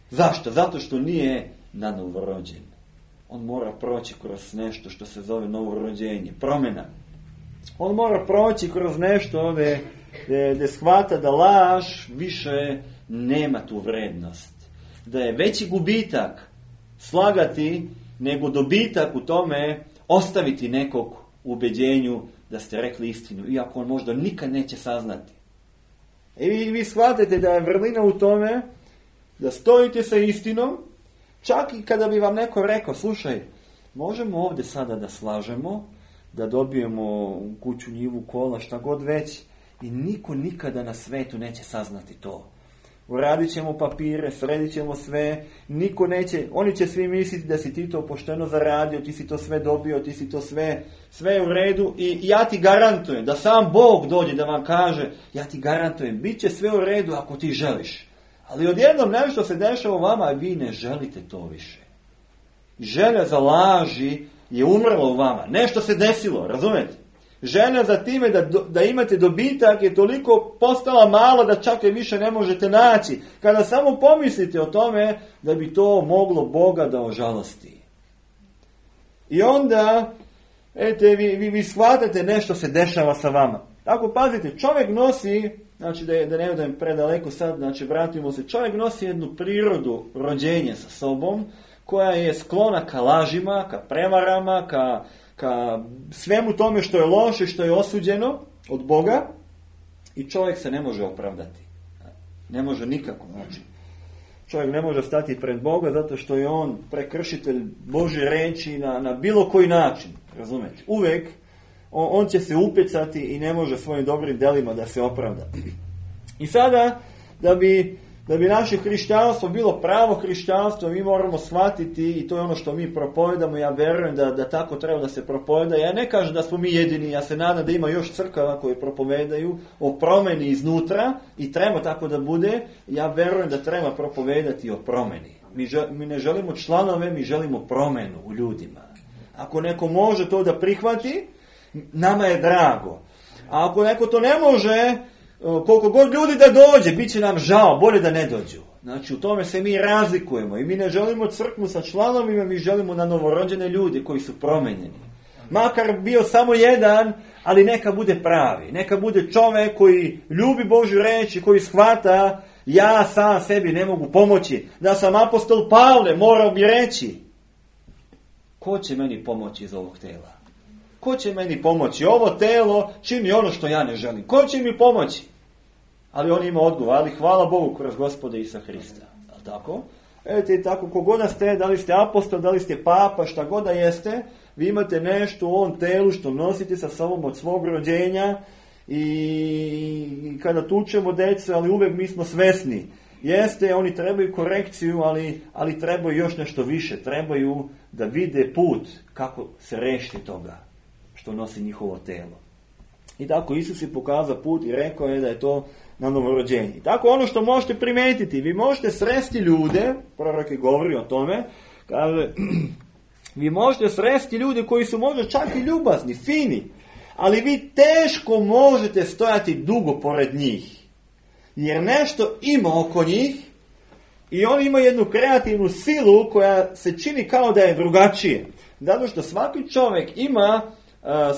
Zašto? Zato što nije nanorođen. On mora proći kroz nešto što se zove novorođenje, promjena. On mora proći kroz nešto gdje shvata da laž više nema tu vrednost. Da je veći gubitak slagati nego dobitak u tome ostaviti nekog u ubeđenju da ste rekli istinu, iako on možda nikad neće saznati. I vi shvatite da je vrlina u tome da stojite sa istinom, čak i kada bi vam neko rekao, slušaj, možemo ovdje sada da slažemo, da dobijemo kuću, njivu, kola, šta god već, i niko nikada na svetu neće saznati to. Uradit ćemo papire, sredit ćemo sve, niko neće, oni će svi misliti da si ti to pošteno zaradio, ti si to sve dobio, ti si to sve u redu, i ja ti garantujem da sam Bog dođe da vam kaže, ja ti garantujem, bit će sve u redu ako ti želiš. Ali odjednom nešto se dešava u vama, a vi ne želite to više. Želja za laži je umrla u vama. Nešto se desilo, razumijete? Želja za time da imate dobitak je toliko postala mala da čak je više ne možete naći. Kada samo pomislite o tome da bi to moglo Boga da ožalosti. I onda, vi shvatate nešto se dešava sa vama. Tako pazite, čovjek nosi, znači da ne odem predaleko sad, znači vratimo se, čovjek nosi jednu prirodu rođenja sa sobom, koja je sklona ka lažima, ka prevarama, ka svemu tome što je loše, što je osuđeno od Boga, i čovjek se ne može opravdati. Ne može nikako. Znači, čovjek ne može stati pred Boga zato što je on prekršitelj Božje riječi na bilo koji način. Razumete? Uvijek on će se upecati i ne može svojim dobrim delima da se opravda. I sada, da bi naše hrišćanstvo bilo pravo hrišćanstvo, mi moramo shvatiti, i to je ono što mi propovedamo, ja vjerujem da tako treba da se propoveda. Ja ne kažem da smo mi jedini, ja se nadam da ima još crkava koje propovedaju o promjeni iznutra, i treba tako da bude. Ja vjerujem da treba propovedati o promjeni. Mi ne želimo članove, mi želimo promjenu u ljudima. Ako neko može to da prihvati, nama je drago. A ako neko to ne može, koliko god ljudi da dođe, bit će nam žao, bolje da ne dođu. Znači, u tome se mi razlikujemo i mi ne želimo crkvu sa članovima, mi želimo na novorođene ljude koji su promenjeni. Makar bio samo jedan, ali neka bude pravi. Neka bude čovjek koji ljubi Božju riječ i koji shvata, ja sam sebi ne mogu pomoći. Da sam apostol Pavle, morao bi reći, ko će meni pomoći iz ovog tela? Ko će meni pomoći? Ovo telo čini ono što ja ne želim. Ko će mi pomoći? Ali on ima odgovor, ali hvala Bogu kroz Gospoda Isusa Hrista. Je li tako? Evo tako, kogoda ste, da li ste apostol, da li ste papa, šta god da jeste, Vi imate nešto u ovom telu što nosite sa sobom od svog rođenja i kada tučemo djecu, ali uvijek mi smo svesni. Jeste, oni trebaju korekciju, ali trebaju još nešto više. Trebaju da vide put kako se rešiti toga što nosi njihovo telo. I tako Isus je pokazao put i rekao je da je to na novorođenje. I tako ono što možete primijetiti, vi možete sresti ljude, prorok je govori o tome, kaže, vi možete sresti ljude koji su možda čak i ljubazni, fini, ali vi teško možete stojati dugo pored njih. Jer nešto ima oko njih i oni imaju jednu kreativnu silu koja se čini kao da je drugačije. Zato što svaki čovjek ima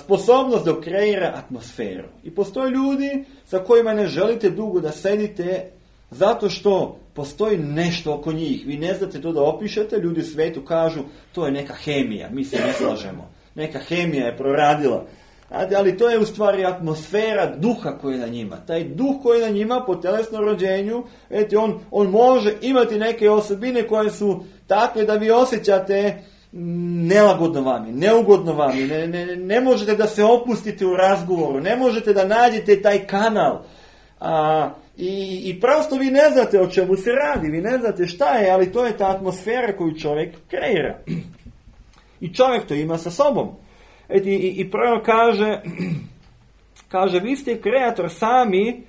sposobnost da kreira atmosferu. I postoje ljudi sa kojima ne želite dugo da sedite zato što postoji nešto oko njih. Vi ne znate to da opišete, ljudi u svijetu kažu to je neka hemija, mi se ne slažemo. Neka hemija je proradila. Ali to je u stvari atmosfera duha koji je na njima. Taj duh koji je na njima po telesnom rođenju, on može imati neke osobine koje su takve da vi osjećate nelagodno vami, neugodno vami, ne možete da se opustite u razgovoru, ne možete da nađete taj kanal. I prosto vi ne znate o čemu se radi, vi ne znate šta je, ali to je ta atmosfera koju čovjek kreira. I čovjek to ima sa sobom. I prvo kaže, vi ste kreator sami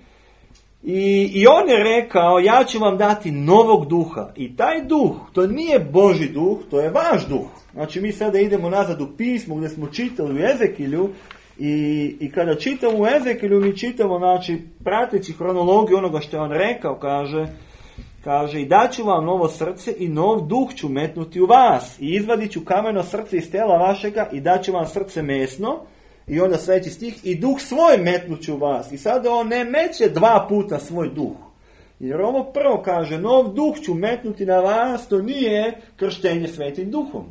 i on je rekao, ja ću vam dati novog duha. I taj duh, to nije Božji duh, to je vaš duh. Znači mi sada idemo nazad u pismu gdje smo čitali u Ezekilju i kada čitamo u Ezekilju mi čitamo, znači prateći hronologiju onoga što je on rekao, kaže i daću vam novo srce i nov duh ću metnuti u vas i izvadit ću kameno srce iz tela vašega i daću vam srce mesno i onda sljedeći stih i duh svoj metnut ću u vas. I sada on ne meće 2 puta svoj duh. Jer ovo prvo kaže nov duh ću metnuti na vas, to nije krštenje svetim duhom.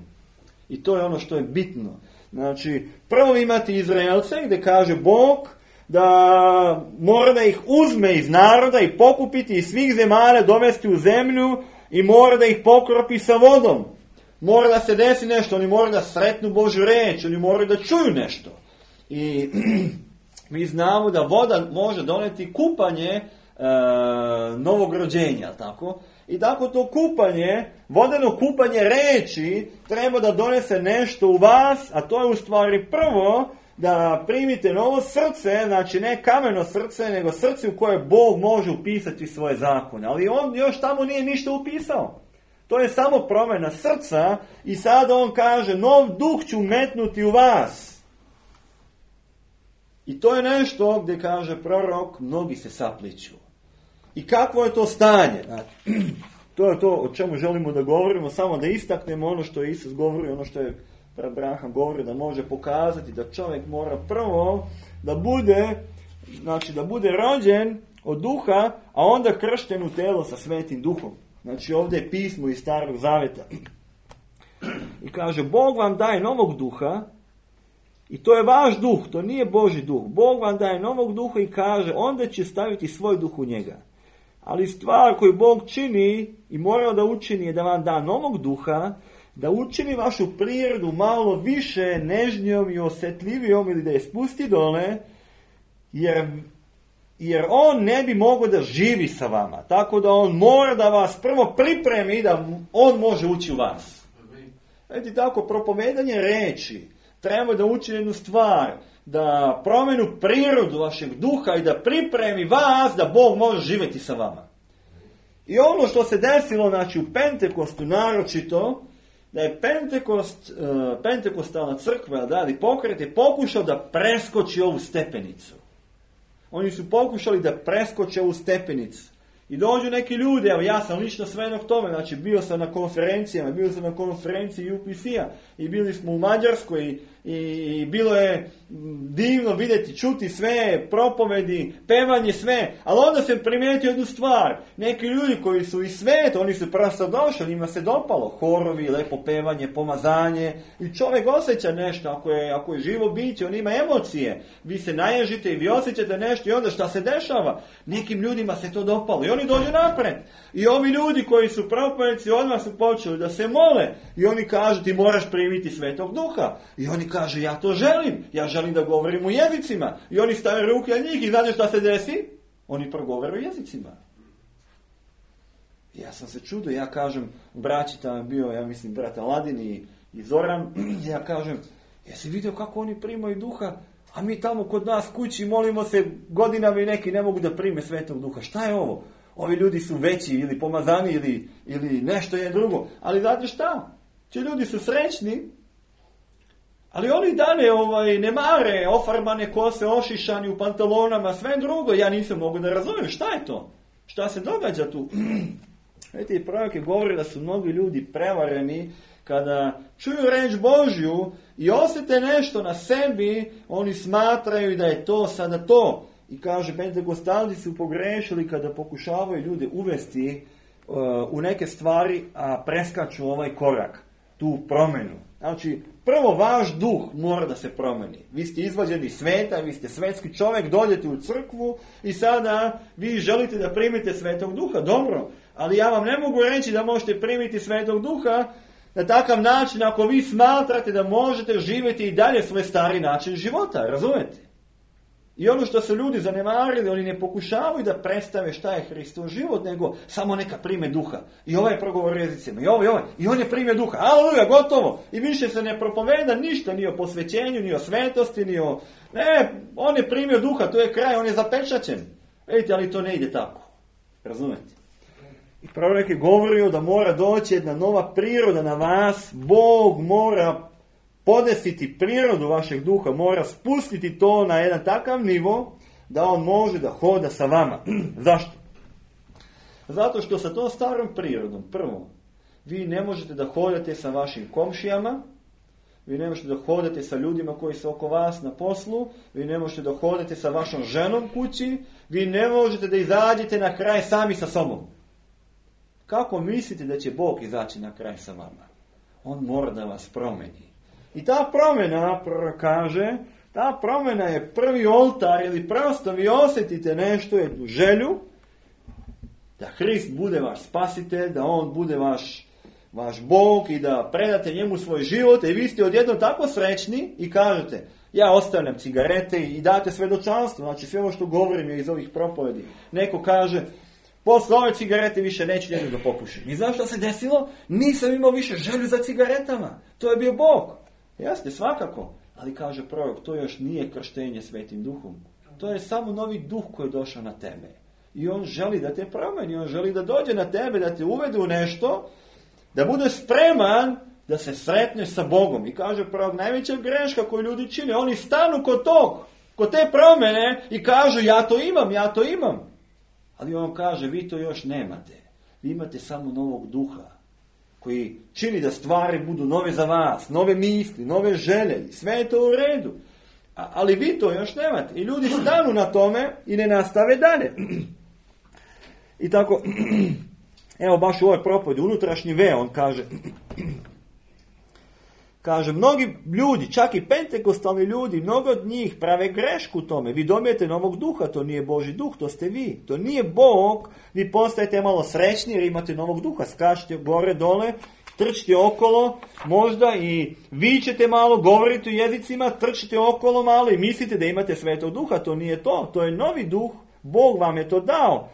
I to je ono što je bitno. Znači prvo imate Izraelce gdje kaže Bog da mora da ih uzme iz naroda i pokupiti iz svih zemalja, dovesti u zemlju i mora da ih pokropi sa vodom. Mora da se desi nešto, oni moraju da sretnu Božju reč, oni moraju da čuju nešto. I mi znamo da voda može doneti kupanje novog rođenja, tako? I tako to kupanje, vodeno kupanje reči treba da donese nešto u vas, a to je u stvari prvo da primite novo srce, znači ne kameno srce, nego srce u koje Bog može upisati svoje zakone. Ali on još tamo nije ništa upisao. To je samo promjena srca i sada on kaže, nov duh ću metnuti u vas. I to je nešto gdje kaže prorok, mnogi se sapliću. I kakvo je to stanje? Znači, to je to o čemu želimo da govorimo, samo da istaknemo ono što je Isus govori, ono što je Abraham govori, da može pokazati da čovjek mora prvo da bude rođen od duha, a onda kršten u telo sa svetim duhom. Znači ovdje je pismo iz Starog Zaveta. I kaže, Bog vam daje novog duha, i to je vaš duh, to nije Božji duh. Bog vam daje novog duha i kaže, onda će staviti svoj duh u njega. Ali stvar koju Bog čini i mora da učini je da vam da novog duha, da učini vašu prirodu malo više nežnjom i osjetljivijom ili da je spusti dole, jer on ne bi mogao da živi sa vama. Tako da on mora da vas prvo pripremi da on može ući u vas. Vidite, tako propovedanje reči treba da učini jednu stvar, da promenu prirodu vašeg duha i da pripremi vas da Bog može živjeti sa vama. I ono što se desilo, znači u Pentekostu naročito, da je Pentekostalna crkva, ali pokret je pokušao da preskoči ovu stepenicu. Oni su pokušali da preskoče ovu stepenicu. I dođu neki ljudi, evo ja sam lično svedok tome, znači bio sam na konferencijama, bio sam na konferenciji UPC-a i bili smo u Mađarskoj i bilo je divno vidjeti, čuti sve, propovedi, pevanje, sve, ali onda sam primijetio jednu stvar. Neki ljudi koji su i svet, oni su prosto došli, njima se dopalo horovi, lepo pevanje, pomazanje i čovjek osjeća nešto, ako je živo biće, on ima emocije. Vi se naježite i vi osjećate nešto i onda šta se dešava? Nekim ljudima se to dopalo i oni dođu napred. I ovi ljudi koji su propovjednici odmah su počeli da se mole i oni kažu ti moraš primiti Svetog Duha. I oni kažu ja to želim, ja želim da govorim u jezicima. I oni stave ruke na njih i znate šta se desi? Oni progovore u jezicima. Ja sam se čudio, ja kažem, braći tamo je bio, ja mislim, brat Aladin i Zoran, ja kažem, jesi vidio kako oni primaju Duha? A mi tamo kod nas kući molimo se godinama i neki ne mogu da prime Svetog Duha. Šta je ovo? Ovi ljudi su veći ili pomazani ili nešto je drugo. Ali znate šta? Ti ljudi su srećni, ali oni dalje ne mare, ofarbane kose, ošišani u pantalonama, sve drugo. Ja nisam mogu da razumijem. Šta je to? Šta se događa tu? Vidite, i prorok je govorio da su mnogi ljudi prevareni kada čuju reč Božju i osjete nešto na sebi, oni smatraju da je to sada to. I kaže, pentekostalci su pogrešili kada pokušavaju ljude uvesti u neke stvari, a preskaču ovaj korak, tu promjenu. Znači, prvo vaš duh mora da se promeni. Vi ste izvađeni sveta, vi ste svetski čovjek, dođete u crkvu i sada vi želite da primite Svetog Duha. Dobro, ali ja vam ne mogu reći da možete primiti Svetog Duha na takav način ako vi smatrate da možete živjeti i dalje svoj stari način života, razumete? I ono što su ljudi zanemarili, oni ne pokušavaju da predstave šta je Hristov život, nego samo neka prime Duha. I ovaj je progovor jezicima, i ovaj, i on je primio Duha. Aleluja, gotovo. I više se ne propoveda ništa, ni o posvećenju, ni o svetosti, ni o... Ne, on je primio Duha, to je kraj, on je zapečaćen. Vidite, ali to ne ide tako. Razumete? I prorok je govorio da mora doći jedna nova priroda na vas, Bog mora podesiti prirodu vašeg duha, mora spustiti to na jedan takav nivo da on može da hoda sa vama. Zašto? Zato što sa tom starom prirodom, prvo, vi ne možete da hodate sa vašim komšijama, vi ne možete da hodate sa ljudima koji su oko vas na poslu, vi ne možete da hodate sa vašom ženom kući, vi ne možete da izađete na kraj sami sa sobom. Kako mislite da će Bog izaći na kraj sa vama? On mora da vas promeni. I ta promjena, kaže, ta promjena je prvi oltar ili prosto vi osjetite nešto, jednu želju, da Hrist bude vaš spasitelj, da on bude vaš Bog i da predate njemu svoj život i vi ste odjednom tako srećni i kažete, ja ostavljam cigarete i date svedočanstvo, znači sve ovo što govorim je iz ovih propovedi. Neko kaže, posle ove cigarete više neću jednu da popušim. I znaš što se desilo? Nisam imao više želju za cigaretama. To je bio Bog. Jeste, svakako. Ali kaže prorok, to još nije krštenje Svetim Duhom. To je samo novi duh koji je došao na tebe. I on želi da te promeni, on želi da dođe na tebe, da te uvede u nešto, da budeš spreman da se sretneš sa Bogom. I kaže prorok, najveća greška koju ljudi čine, oni stanu kod te promjene i kažu ja to imam. Ali on kaže, vi to još nemate. Vi imate samo novog duha koji čini da stvari budu nove za vas, nove misli, nove želje, sve je to u redu. Ali vi to još nemate. I ljudi stanu na tome i ne nastave dalje. I tako, evo baš u ovoj propovedi, unutrašnji veo, on kaže, mnogi ljudi, čak i pentekostalni ljudi, mnogo od njih prave grešku u tome. Vi dobijete novog duha, to nije Božji duh, to ste vi. To nije Bog, vi postajete malo srećni jer imate novog duha. Skačete gore, dole, trčite okolo, možda i vičete malo, govorite u jezicima, trčite okolo malo i mislite da imate Svetog Duha. To nije to, to je novi duh, Bog vam je to dao,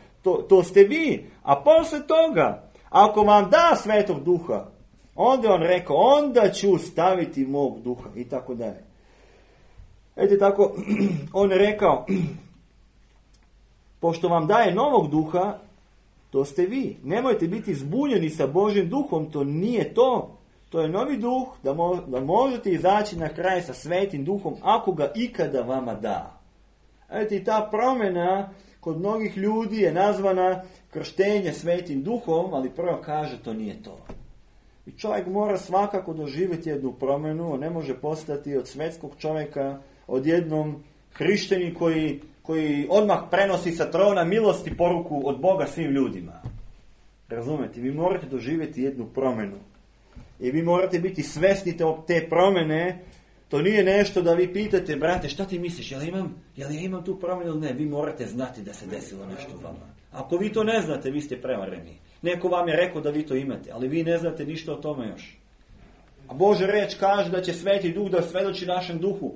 to ste vi. A posle toga, ako vam da Svetog Duha, onda on rekao, onda ću staviti mog duha i tako dalje. Eto tako, on je rekao, pošto vam daje novog duha, to ste vi. Nemojte biti zbunjeni sa Božjim duhom, to nije to. To je novi duh, da možete izaći na kraj sa Svetim Duhom, ako ga ikada vama da. Eto i ta promjena kod mnogih ljudi je nazvana krštenje Svetim Duhom, ali prvo kaže, to nije to. I čovjek mora svakako doživjeti jednu promjenu, on ne može postati od svjetskog čovjeka odjednom hrišćanin koji odmah prenosi sa trona milosti poruku od Boga svim ljudima. Razumete, vi morate doživjeti jednu promjenu. I vi morate biti svjesni te promjene. To nije nešto da vi pitate, brate, šta ti misliš, jel ja imam tu promjenu ili ne? Vi morate znati da se desilo nešto u vama. Ako vi to ne znate, vi ste prevareni. Neko vam je rekao da vi to imate, ali vi ne znate ništa o tome još. A Božja riječ kaže da će Sveti Duh da svjedoči našem duhu.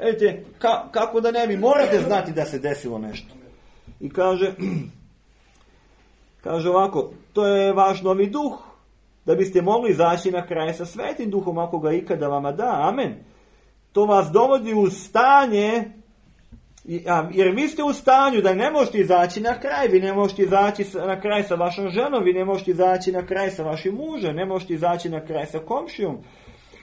Vidite, kako da ne, vi morate znati da se desilo nešto. I kaže ovako, to je vaš novi duh, da biste mogli izaći na kraj sa Svetim Duhom, ako ga ikada vama da. Amen. To vas dovodi u stanje, jer vi ste u stanju da ne možete izaći na kraj, vi ne možete izaći na kraj sa vašom ženom, vi ne možete izaći na kraj sa vašim mužem, ne možete izaći na kraj sa komšijom.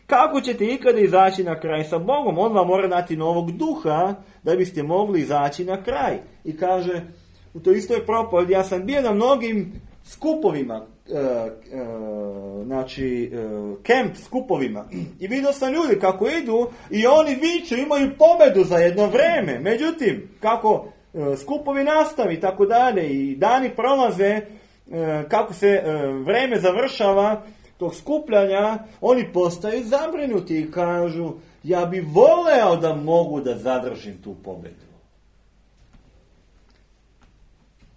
Kako ćete ikada izaći na kraj sa Bogom? On vam mora dati novog duha da biste mogli izaći na kraj. I kaže, u toj istoj propovedi, ja sam bio na mnogim skupovima, kemp skupovima, i vidio sam ljudi kako idu i oni viču, imaju pobedu za jedno vreme. Međutim, kako skupovi nastavi, tako dalje, i dani prolaze, kako se vreme završava tog skupljanja, oni postaju zabrinuti i kažu, ja bi voleo da mogu da zadržim tu pobedu.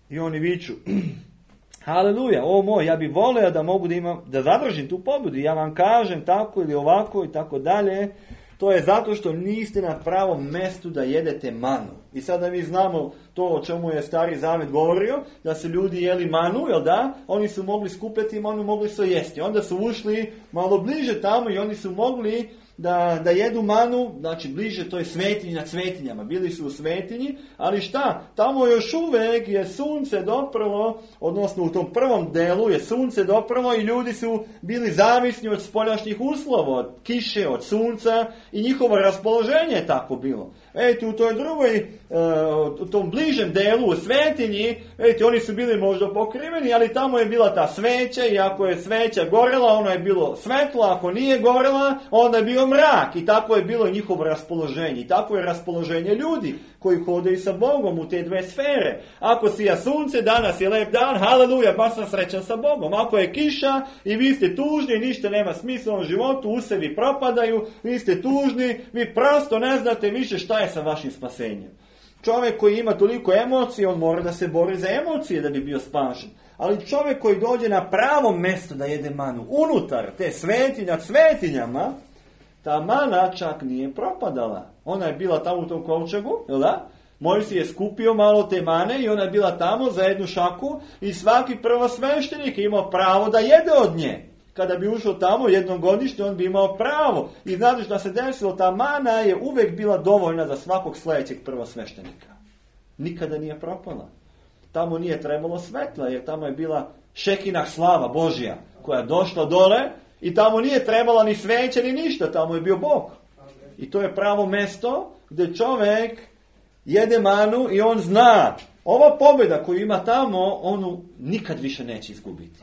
I oni viču, haleluja, o moj, ja bi voleo da mogu da zadržim tu pobedu. Ja vam kažem tako ili ovako i tako dalje. To je zato što niste na pravom mjestu da jedete manu. I sada mi znamo to o čemu je Stari Zavet govorio, da su ljudi jeli manu, jel da? Oni su mogli skupljati manu, mogli su jesti. Onda su ušli malo bliže tamo i oni su mogli da jedu manu, znači bliže toj svetinji nad svetinjama. Bili su u svetinji, ali šta? Tamo još uvijek je sunce doprlo, odnosno u tom prvom delu je sunce doprlo i ljudi su bili zavisni od spoljašnjih uslova, od kiše, od sunca i njihovo raspoloženje je tako bilo. Vidite, u toj drugoj, u tom bližem delu, u svetinji, vidite, oni su bili možda pokriveni, ali tamo je bila ta sveća i ako je sveća gorela, ono je bilo svetlo, ako nije gorela, onda je bio mrak. I tako je bilo njihovo raspoloženje. I tako je raspoloženje ljudi koji hodaju sa Bogom u te dve sfere. Ako sija sunce, danas je lep dan, haleluja, baš sam srećan sa Bogom. Ako je kiša i vi ste tužni, ništa nema smisla u životu, u sebi propadaju, vi ste tužni, vi prosto ne znate više šta je sa vašim spasenjem. Čovjek koji ima toliko emocije, on mora da se bori za emocije da bi bio spašen. Ali čovjek koji dođe na pravo mjesto da jede manu, unutar te svetinje nad svetinjama, ta mana čak nije propadala. Ona je bila tamo u tom kovčegu, jel da? Mojsije je skupio malo te mane i ona je bila tamo za jednu šaku i svaki prvosveštenik je imao pravo da jede od nje. Kada bi ušao tamo jednom godišnje, on bi imao pravo. I znate što se desilo, ta mana je uvijek bila dovoljna za svakog sljedećeg prvosveštenika. Nikada nije propala. Tamo nije trebalo svetla, jer tamo je bila šekinah slava Božja koja je došla dole i tamo nije trebala ni sveće ni ništa, tamo je bio Bog. I to je pravo mjesto gdje čovjek jede manu i on zna, ova pobjeda koju ima tamo, onu nikad više neće izgubiti.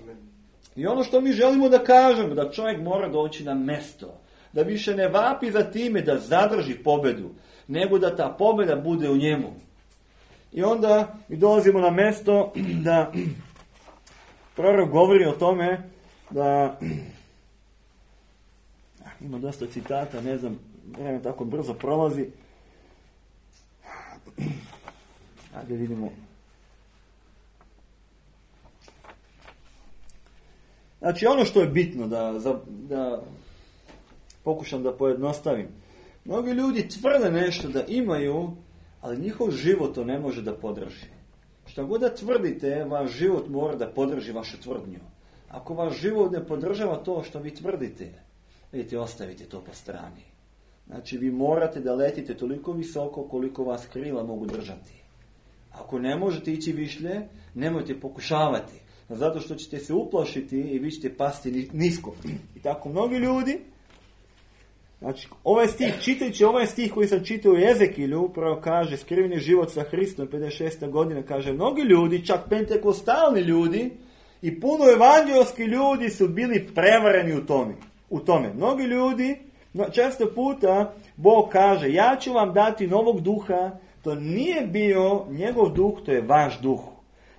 I ono što mi želimo da kažemo, da čovjek mora doći na mjesto, da više ne vapi za time da zadrži pobjedu, nego da ta pobjeda bude u njemu. I onda mi dolazimo na mjesto da prorok govori o tome da ima dosta citata, ne znam, vreme tako brzo prolazi. Ajde vidimo. Znači ono što je bitno da pokušam da pojednostavim. Mnogi ljudi tvrde nešto da imaju, ali njihov život to ne može da podrži. Što god da tvrdite, vaš život mora da podrži vašu tvrdnju. Ako vaš život ne podržava to što vi tvrdite, vidite, ostavite to po strani. Znači vi morate da letite toliko visoko koliko vas krila mogu držati. Ako ne možete ići višlje, nemojte pokušavati. Zato što ćete se uplašiti i vi ćete pasti nisko. I tako mnogi ljudi, znači ovaj stih, čitajući ovaj stih koji sam čitao u Ezekilju, upravo kaže skriveni život sa Hristom, 56. godina, kaže mnogi ljudi, čak pentekostalni ljudi, I puno evanđelski ljudi su bili prevareni u tome. Mnogi ljudi, često puta Bog kaže, ja ću vam dati novog duha, to nije bio njegov duh, to je vaš duh.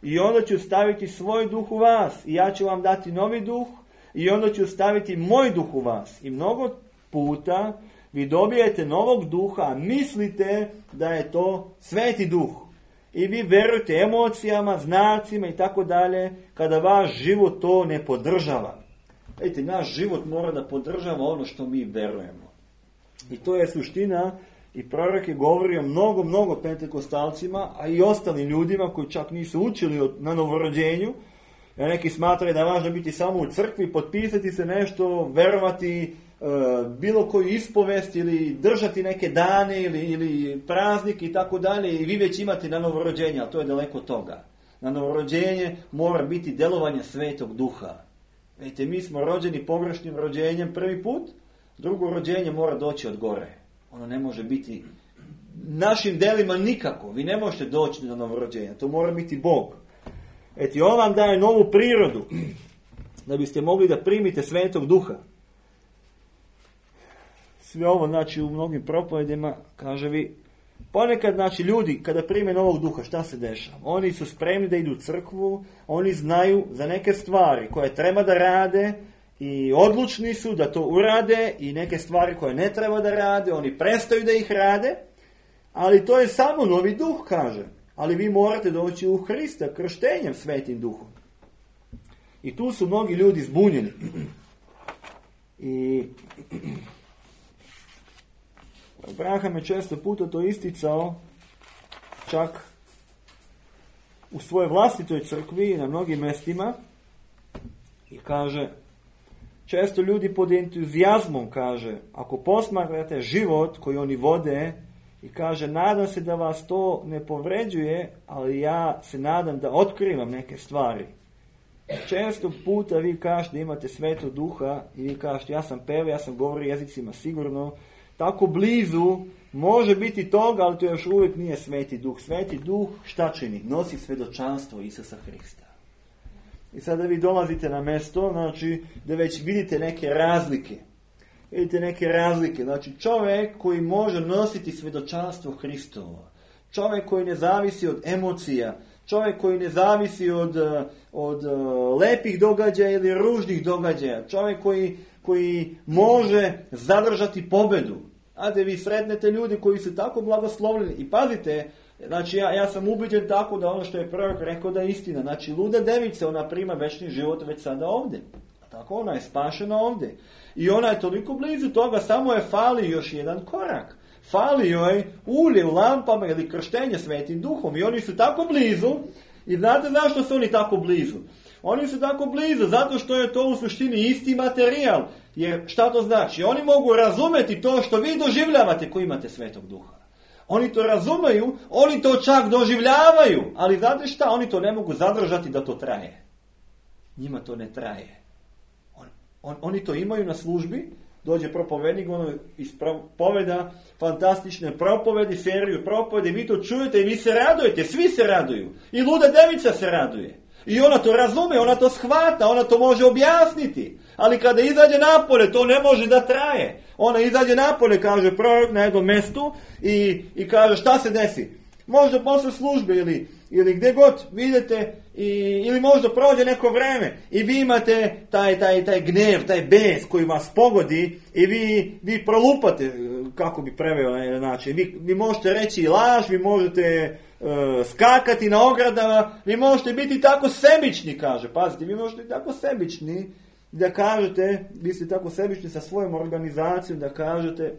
I onda ću staviti svoj duh u vas. I ja ću vam dati novi duh. I onda ću staviti moj duh u vas. I mnogo puta vi dobijete novog duha, a mislite da je to sveti duh. I vi verujete emocijama, znacima i tako dalje, kada vaš život to ne podržava. Vidite, naš život mora da podržava ono što mi verujemo. I to je suština. I prorok je govorio mnogo pentekostalcima, a i ostalim ljudima koji čak nisu učili na novorođenju. Neki smatraju da je važno biti samo u crkvi, potpisati se nešto, verovati bilo koju ispovest ili držati neke dane ili praznike i tako dalje i vi već imate na novorođenje, ali to je daleko od toga. Na novorođenje mora biti delovanje Svetog Duha. Vidite, mi smo rođeni pogrešnim rođenjem prvi put, drugo rođenje mora doći od gore. Ono ne može biti našim delima nikako. Vi ne možete doći do novorođenja. To mora biti Bog. Eto, on vam daje novu prirodu da biste mogli da primite Svetog Duha. Sve ovo, znači, u mnogim propovedima, kaže vi, ponekad, znači, ljudi, kada prime novog duha, šta se dešava? Oni su spremni da idu u crkvu, oni znaju za neke stvari koje treba da rade, i odlučni su da to urade i neke stvari koje ne treba da rade, oni prestaju da ih rade, ali to je samo novi duh, kaže. Ali vi morate doći u Hrista krštenjem Svetim Duhom. I tu su mnogi ljudi zbunjeni. I Abraham je često puta to isticao, čak u svojoj vlastitoj crkvi na mnogim mestima, i kaže, često ljudi pod entuzijazmom, kaže, ako posmatrate život koji oni vode, i kaže, nadam se da vas to ne povređuje, ali ja se nadam da otkrivam neke stvari. Često puta vi kažete da imate Svetog Duha i vi kažete, ja sam pevao, ja sam govorio jezicima sigurno, tako blizu, može biti toga, ali to još uvijek nije Sveti Duh. Sveti Duh šta čini? Nosi svedočanstvo Isusa Hrista. I sada vi dolazite na mesto, znači, da već vidite neke razlike. Vidite neke razlike. Znači, čovjek koji može nositi svedočanstvo Hristovo. Čovjek koji ne zavisi od emocija. Čovjek koji ne zavisi od lepih događaja ili ružnih događaja. Čovjek koji može zadržati pobedu. Ajde, vi sretnete ljudi koji su tako blagoslovljeni. I pazite, znači ja sam ubeđen tako da ono što je prorok rekao da je istina. Znači, luda devica, ona prima večni život već sada ovdje. A tako ona je spašena ovdje. I ona je toliko blizu toga, samo je fali još jedan korak. Fali joj ulje u lampama ili krštenje Svetim Duhom. I oni su tako blizu. I znate zašto su oni tako blizu? Oni su tako blizu zato što je to u suštini isti materijal. Jer šta to znači? Oni mogu razumjeti to što vi doživljavate koji imate Svetog Duha. Oni to razumeju, oni to čak doživljavaju. Ali znate šta? Oni to ne mogu zadržati da to traje. Njima to ne traje. Oni to imaju na službi, dođe propovednik, ono ispoveda fantastične propovedi, seriju propovedi, vi to čujete i vi se radujete, svi se raduju. I luda devica se raduje. I ona to razume, ona to shvata, ona to može objasniti. Ali kada izađe napolje, to ne može da traje. Ona izađe napolje, kaže prorok na jednom mjestu i kaže šta se desi. Možda posle službe ili gdje god vidite ili možda prođe neko vreme i vi imate taj gnev, taj bes koji vas pogodi i vi prolupate, kako bi preveo na jedan način. Vi možete reći laž, vi možete skakati na ogradama, vi možete biti tako sebični, kaže. Pazite, vi možete biti tako sebični da kažete, vi ste tako sebični sa svojom organizacijom da kažete,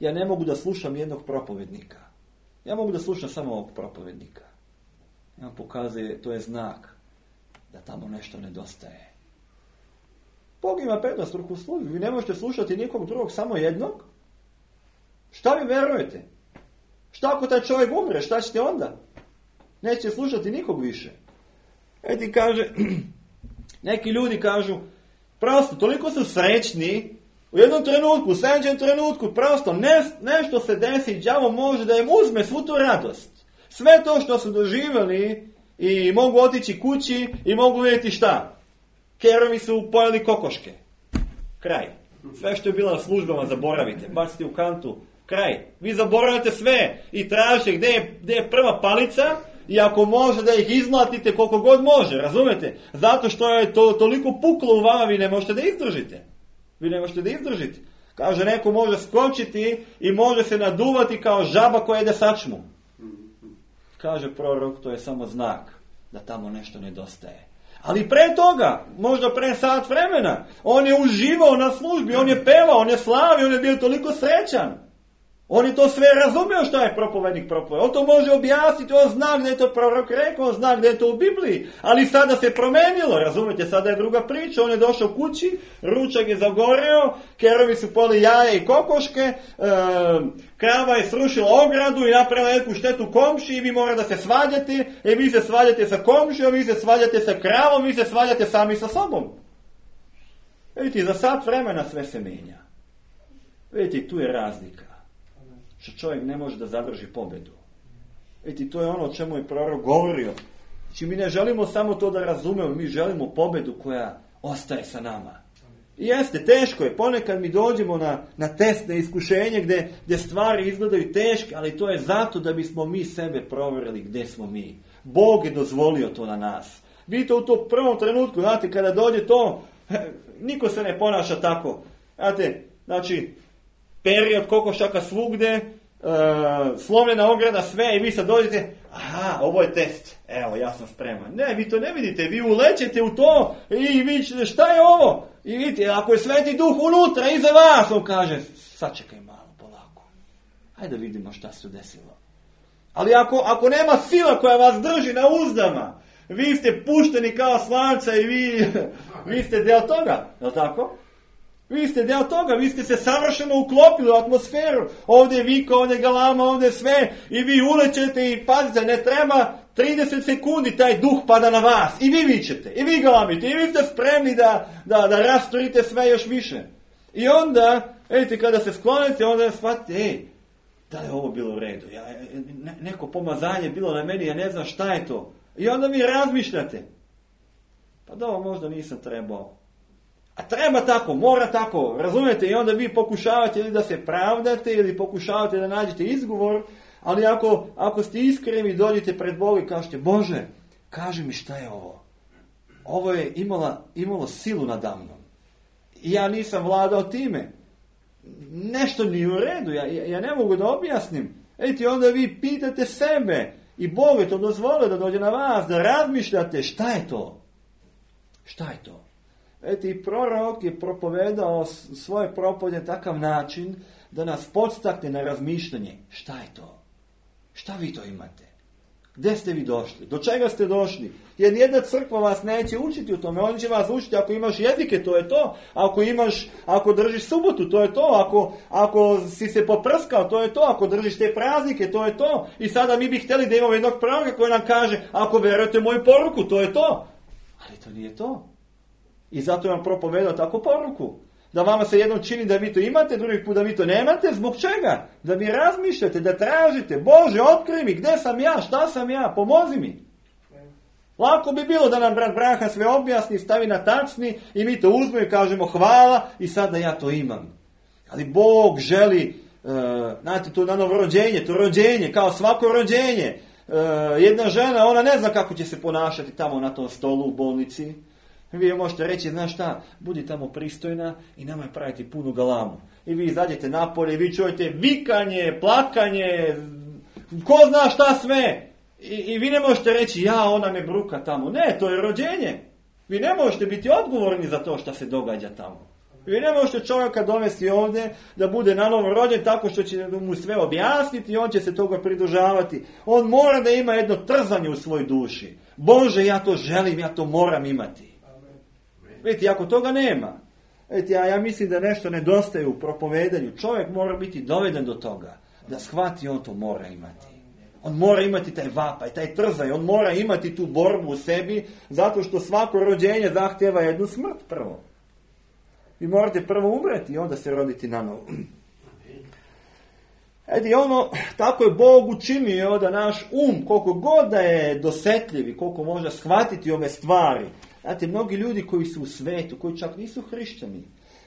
ja ne mogu da slušam jednog propovednika. Ja mogu da slušam samo ovog propovednika. Ja pokazuje, to je znak da tamo nešto nedostaje. Bog ima petostruku službu. Vi ne možete slušati nikog drugog, samo jednog. Šta vi verujete? Šta ako taj čovjek umre? Šta ćete onda? Nećete slušati nikog više. Eti kaže, neki ljudi kažu, prosto, toliko su srećni, u jednom trenutku, u sljedećem trenutku, prosto, nešto se desi, đavo može da im uzme svu tu radost. Sve to što su doživjeli i mogu otići kući i mogu vidjeti šta? Kerovi su pojeli kokoške. Kraj. Sve što je bilo na službama zaboravite. Bacite u kantu. Kraj. Vi zaboravite sve i tražite gdje je prva palica i ako može da ih izmlatite koliko god može. Razumete? Zato što je to toliko puklo u vama, vi ne možete da izdržite. Vi ne možete da izdržite. Kaže, neko može skočiti i može se naduvati kao žaba koja jede sačmu. Kaže prorok, to je samo znak da tamo nešto nedostaje. Ali pre toga, možda pre sat vremena, on je uživao na službi, on je pevao, on je slavio, on je bio toliko srećan. On je to sve razumio što je propovednik propovedao. On to može objasniti, on zna gdje je to prorok rekao, on zna gdje je to u Bibliji. Ali sada se promenilo, razumijete, sada je druga priča. On je došao kući, ručak je zagoreo, kerovi su poli jaje i kokoške, krava je srušila ogradu i napravila neku štetu komši i vi mora da se svađate, i vi se svađate sa komšijom, vi se svađate sa kravom, vi se svađate sami sa sobom. Vidite, za sat vremena sve se mijenja. Vidite, tu je razlika. Što čovjek ne može da zadrži pobjedu. Vidite, to je ono o čemu je prorok govorio. Znači, mi ne želimo samo to da razumemo, mi želimo pobjedu koja ostaje sa nama. I jeste, teško je. Ponekad mi dođemo na test, na iskušenje gdje stvari izgledaju teške, ali to je zato da bismo mi sebe provjerili gdje smo mi. Bog je dozvolio to na nas. Vidite, u tom prvom trenutku, znate, kada dođe to, niko se ne ponaša tako. Znate, znači, period kokošaka svugde, slomljena ograda, sve, i vi sad dođete, aha, ovo je test, evo, ja sam spreman. Ne, vi to ne vidite, vi ulećete u to i vi ćete, šta je ovo? I vidite, ako je Sveti Duh unutra, iza vas, on kaže, sačekaj malo, polako. Hajde da vidimo šta se desilo. Ali ako nema sila koja vas drži na uzdama, vi ste pušteni kao slanca i vi ste deo toga, je li tako? Vi ste deo toga, vi ste se savršeno uklopili u atmosferu. Ovdje je vika, ovdje je galama, ovdje je sve. I vi ulećete i pazite, ne treba 30 sekundi taj duh pada na vas. I vi vičete, i vi galamite, i vi ste spremni da rasturite sve još više. I onda, vidite, kada se sklonite, onda shvatite, da li je ovo bilo u redu? Neko pomazanje bilo na meni, ja ne znam šta je to. I onda vi razmišljate. Pa da, ovo možda nisam trebao. A treba tako, mora tako, razumijete? I onda vi pokušavate ili da se pravdate ili pokušavate da nađete izgovor, ali ako ste iskreni dođete pred Boga i kažete, Bože, kaži mi šta je ovo. Ovo je imalo silu nadamnom. I ja nisam vladao time. Nešto nije u redu, ja ne mogu da objasnim. Eti, onda vi pitate sebe i Bog je to dozvolio da dođe na vas, da razmišljate šta je to. Šta je to? Eto, i prorok je propovedao svoje propovjede na takav način da nas podstakne na razmišljanje. Šta je to? Šta vi to imate? Gdje ste vi došli? Do čega ste došli? Jer nijedna crkva vas neće učiti u tome. On će vas učiti ako imaš jezike, to je to. Ako držiš subotu, to je to. Ako si se poprskao, to je to. Ako držiš te praznike, to je to. I sada mi bi htjeli da imamo jednog proroka koji nam kaže, ako vjerujete moju poruku, to je to. Ali to nije to. I zato je vam propovedao takvu poruku. Da vama se jednom čini da vi to imate, drugi put da vi to nemate. Zbog čega? Da mi razmišljate, da tražite. Bože, otkrij mi, gdje sam ja, šta sam ja, pomozi mi. Lako bi bilo da nam brat Branha sve objasni, stavi na tacni i mi to uzmemo i kažemo hvala i sada ja to imam. Ali Bog želi, znate, to na novo rođenje, to rođenje, kao svako rođenje. Jedna žena, ona ne zna kako će se ponašati tamo na tom stolu u bolnici. Vi možete reći, znaš šta, budi tamo pristojna i nemoj praviti punu galamu. I vi izađete napolje i vi čujete vikanje, plakanje, ko zna šta sve. I vi ne možete reći, ona me bruka tamo. Ne, to je rođenje. Vi ne možete biti odgovorni za to što se događa tamo. Vi ne možete čovjeka dovesti ovdje da bude na novo rođen tako što će mu sve objasniti i on će se toga pridržavati. On mora da ima jedno trzanje u svojoj duši. Bože, ja to želim, ja to moram imati. Vidite, ako toga nema, vidite, ja mislim da nešto nedostaje u propovedanju. Čovjek mora biti doveden do toga, da shvati on to mora imati. On mora imati taj vapaj, taj trzaj, on mora imati tu borbu u sebi, zato što svako rođenje zahtjeva jednu smrt prvo. Vi morate prvo umreti i onda se roditi na novo. Tako je Bog učinio da naš koliko god da je dosetljiv i koliko može shvatiti ove stvari. Znate, mnogi ljudi koji su u svetu, koji čak nisu hrišćani,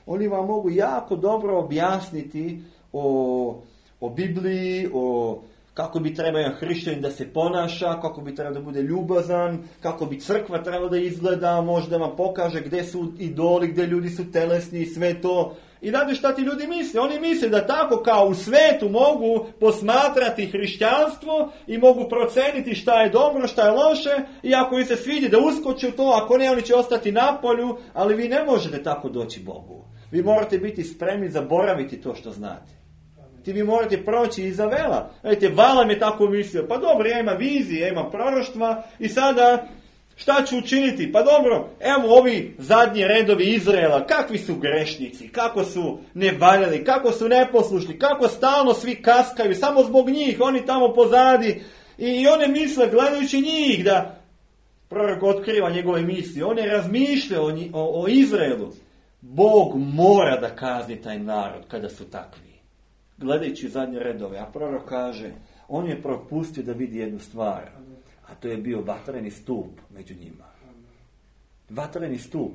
oni vam mogu jako dobro objasniti o Bibliji, o kako bi trebao jedan hrišćanin da se ponaša, kako bi trebao da bude ljubazan, kako bi crkva trebala da izgleda, možda vam pokaže gdje su idoli, gdje ljudi su telesni i sve to. I znate šta ti ljudi misle? Oni misle da tako kao u svetu mogu posmatrati hrišćanstvo i mogu proceniti šta je dobro, šta je loše, i ako im se svidi da uskoče u to, ako ne, oni će ostati na polju, ali vi ne možete tako doći Bogu. Vi morate biti spremni zaboraviti to što znate. Vi morate proći iza vela. Vidite, Valam je tako mislio, pa dobro, ja imam vizije, ja imam proroštva i sada šta ću učiniti? Pa dobro, evo ovi zadnji redovi Izraela, kakvi su grešnici, kako su nevaljali, kako su neposlušni, kako stalno svi kaskaju, samo zbog njih, oni tamo pozadi. I one misle, gledajući njih, da prorok otkriva njegove misli, on je razmišljao o Izraelu. Bog mora da kazni taj narod kada su takvi. Gledajući zadnje redove, a prorok kaže, on je propustio da vidi jednu stvar, a to je bio vatreni stup među njima. Vatreni stup.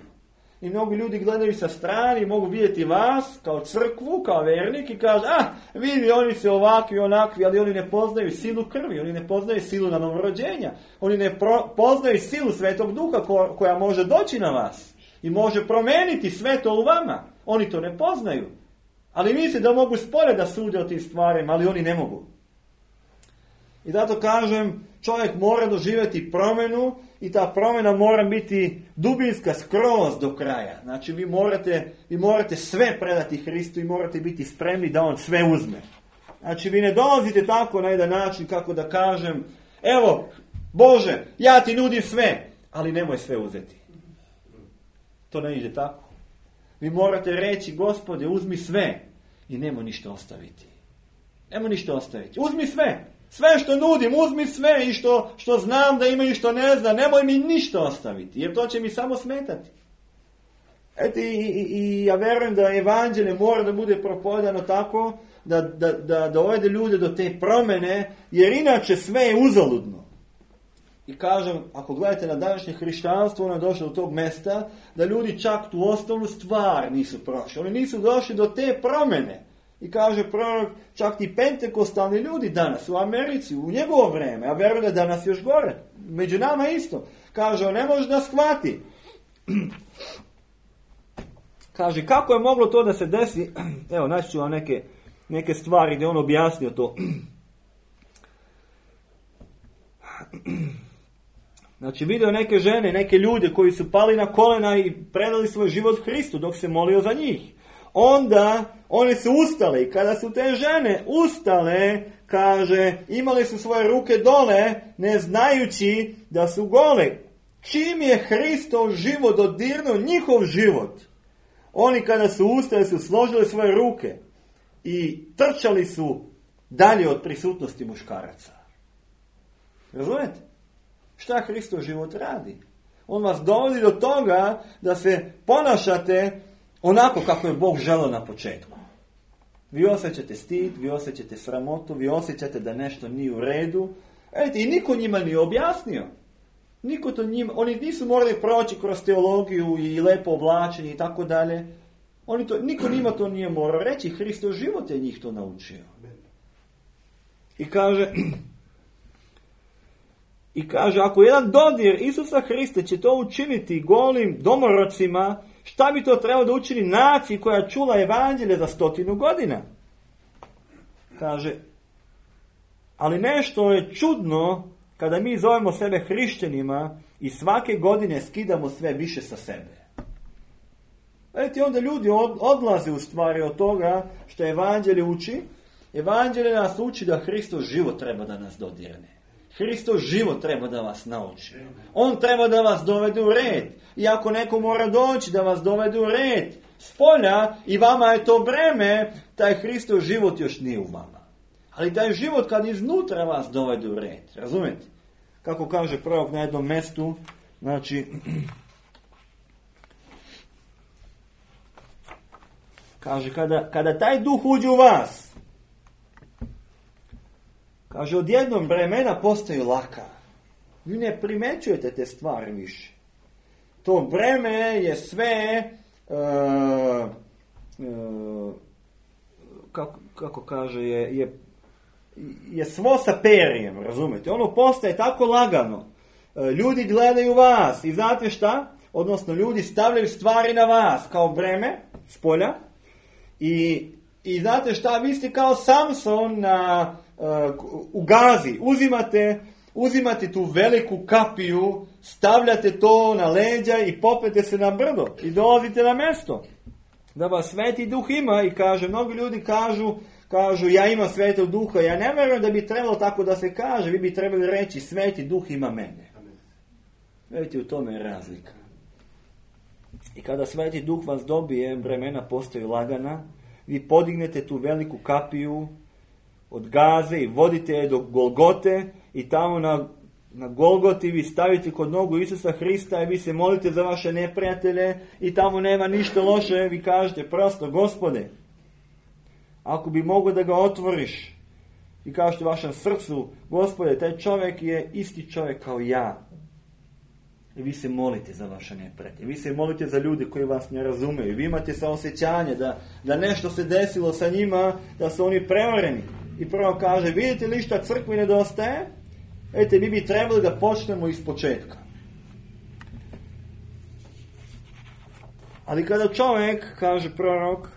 I mnogi ljudi gledaju sa strane i mogu vidjeti vas kao crkvu, kao vernik i kažu, vidi, oni su ovakvi, onakvi, ali oni ne poznaju silu krvi, oni ne poznaju silu na novorođenja, oni ne poznaju silu Svetog Duha koja može doći na vas i može promeniti sve to u vama. Oni to ne poznaju. Ali misle da mogu spore da sude o tim stvarima, ali oni ne mogu. I zato kažem, čovjek mora doživjeti promjenu i ta promjena mora biti dubinska skroz do kraja. Znači vi morate sve predati Hristu i morate biti spremni da on sve uzme. Znači vi ne dolazite tako na jedan način kako da kažem, evo Bože, ja ti nudim sve, ali nemoj sve uzeti. To ne ide tako. Vi morate reći, Gospode, uzmi sve i nemoj ništa ostaviti. Nemoj ništa ostaviti. Uzmi sve. Sve što nudim, uzmi sve i što znam da ima i što ne znam. Nemoj mi ništa ostaviti, jer to će mi samo smetati. I ja verujem da evanđelje mora da bude propovedano tako da dovede ljude do te promjene, jer inače sve je uzaludno. I kažem, ako gledate na današnje hrišćanstvo, ono je došlo do tog mjesta da ljudi čak tu osnovnu stvar nisu prošli. Oni nisu došli do te promjene. I kaže prorok, čak ti pentekostalni ljudi danas u Americi, u njegovo vrijeme, a verujem da danas još gore, među nama isto. Kaže, on ne može da shvati. Kaže, kako je moglo to da se desi? Evo, naći ću vam neke stvari gdje on objasnio to. Znači vidio neke žene, neke ljude koji su pali na kolena i predali svoj život Hristu dok se molio za njih. Onda one su ustale i kada su te žene ustale, kaže, imali su svoje ruke dole, ne znajući da su gole. Čim je Hristov život dodirnuo njihov život, oni kada su ustali su složili svoje ruke i trčali su dalje od prisutnosti muškaraca. Razumijete? Šta Hristov život radi? On vas dovodi do toga da se ponašate onako kako je Bog želeo na početku. Vi osjećate stid, vi osjećate sramotu, vi osjećate da nešto nije u redu. I niko njima nije objasnio. Oni nisu morali proći kroz teologiju i lepo oblačenje i tako dalje. Niko njima to nije morao reći. Hristov život je njih to naučio. I kaže, ako jedan dodir Isusa Hrista će to učiniti golim domorocima, šta bi to trebalo da učini naciji koja čula evanđelje za 100 godina? Kaže, ali nešto je čudno kada mi zovemo sebe hrišćanima i svake godine skidamo sve više sa sebe. Vidite, onda ljudi odlaze u stvari od toga što evanđelje uči. Evanđelje nas uči da Hristov život treba da nas dodirne. Hristov život treba da vas nauči. On treba da vas dovede u red. I ako neko mora doći da vas dovede u red s polja i vama je to breme, taj Hristov život još nije u vama. Ali taj život kad iznutra vas dovede u red. Razumijete? Kako kaže prorok na jednom mjestu, znači, kaže, kada taj duh uđe u vas, Kaže, odjednom vremena postaju laka. Vi ne primećujete te stvari više. To vreme je sve, kako kaže, je svo sa perijem, razumete? Ono postaje tako lagano. Ljudi gledaju vas i znate šta? Odnosno, ljudi stavljaju stvari na vas kao breme s polja i znate šta? Vi ste kao Samson u Gazi. Uzimate tu veliku kapiju, stavljate to na leđa i popete se na brdo i dolazite na mjesto. Da vas Sveti Duh ima i kaže, mnogi ljudi kažu ja imam Svetog Duha. Ja ne vjerujem da bi trebalo tako da se kaže. Vi bi trebali reći Sveti Duh ima mene. Vidite, u tome je razlika. I kada Sveti Duh vas dobije, vremena postaju lagana, vi podignete tu veliku kapiju od Gaze i vodite je do Golgote i tamo na Golgoti vi stavite kod nogu Isusa Hrista i vi se molite za vaše neprijatelje i tamo nema ništa loše, vi kažete prosto, Gospode, ako bi mogao da ga otvoriš i kažete vašem srcu, Gospode, taj čovjek je isti čovjek kao ja. I vi se molite za vaše neprijatelje. Vi se molite za ljude koji vas ne razumeju. Vi imate saosjećanje da nešto se desilo sa njima, da su oni prevareni. I prvo kaže, vidite li šta crkvi nedostaje? Mi bi trebali da počnemo iz početka. Ali kada čovjek, kaže prorok,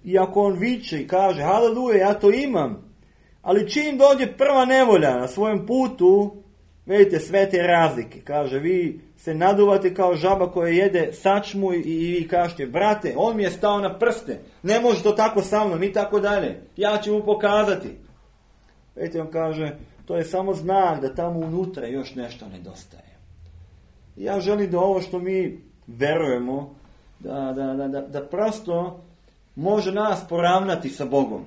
i ako on viče i kaže, haleluja, ja to imam, ali čim dođe prva nevolja na svojem putu, vidite sve te razlike. Kaže, vi se naduvate kao žaba koja jede sačmu i vi kažete, brate, on mi je stao na prste, ne može to tako sa mnom i tako dalje, ja ću mu pokazati. Vidite, on kaže, to je samo znak da tamo unutra još nešto nedostaje. Ja želim da ovo što mi verujemo, da prosto može nas poravnati sa Bogom.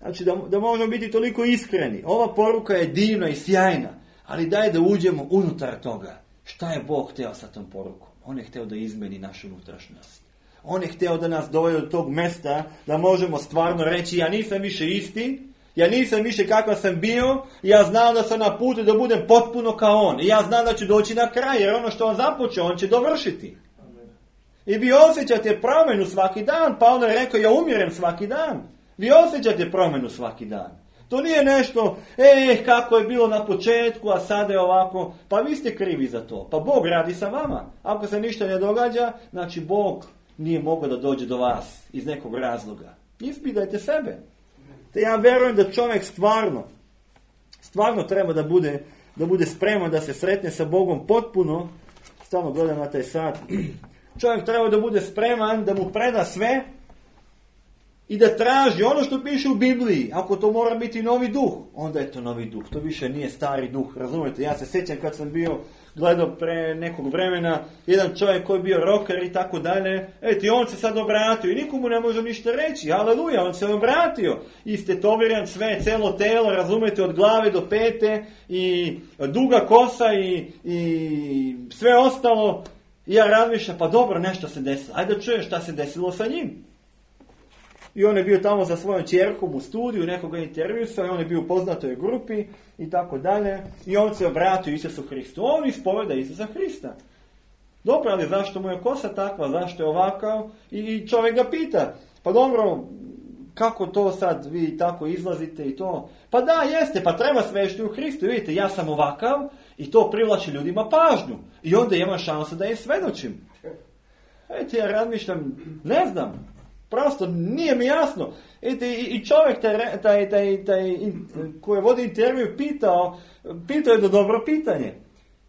Znači da možemo biti toliko iskreni. Ova poruka je divna i sjajna, ali daj da uđemo unutar toga. Šta je Bog hteo sa tom porukom? On je hteo da izmeni našu unutrašnjost. On je hteo da nas dovede do tog mesta da možemo stvarno reći, ja nisam više isti, ja nisam više kakav sam bio, ja znam da sam na putu da budem potpuno kao on. I ja znam da ću doći na kraj, jer ono što on započeo, on će dovršiti. I vi osjećate promjenu svaki dan. Pavle je rekao, ja umirem svaki dan. Vi osjećate promjenu svaki dan. To nije nešto, kako je bilo na početku, a sada je ovako. Pa vi ste krivi za to. Pa Bog radi sa vama. Ako se ništa ne događa, znači Bog nije mogao da dođe do vas iz nekog razloga. Ispitajte sebe. Te ja verujem da čovjek stvarno treba da bude spreman da se sretne sa Bogom potpuno. Stalno gledam na taj sat. Čovjek treba da bude spreman da mu preda sve i da traži ono što piše u Bibliji. Ako to mora biti novi duh, onda je to novi duh. To više nije stari duh. Razumijete? Ja se sjećam kad sam gledao pre nekog vremena jedan čovjek koji je bio rocker i tako dalje. On se sad obratio i nikomu ne može ništa reći. Aleluja, on se obratio. Istetoviran sve, celo telo, razumijete, od glave do pete i duga kosa i sve ostalo. I ja razmišljam, pa dobro, nešto se desilo. Ajde da čujem šta se desilo sa njim. I on je bio tamo sa svojom ćerkom u studiju, nekoga intervjuisao i on je bio u poznatoj grupi i tako dalje. I on se obratio Isusu Hristu. On ispoveda Isusa Hrista. Dobro, ali zašto mu je kosa takva, zašto je ovakav? I čovjek ga pita, pa dobro, kako to sad vi tako izlazite i to? Pa da, jeste, pa treba svešti u Hristu. Vidite, ja sam ovakav i to privlači ljudima pažnju. I onda imam šansu da im svedočim. Ja razmišljam, ne znam. Prosto nije mi jasno. I čovjek taj koji vodi intervju pitao je da dobro pitanje.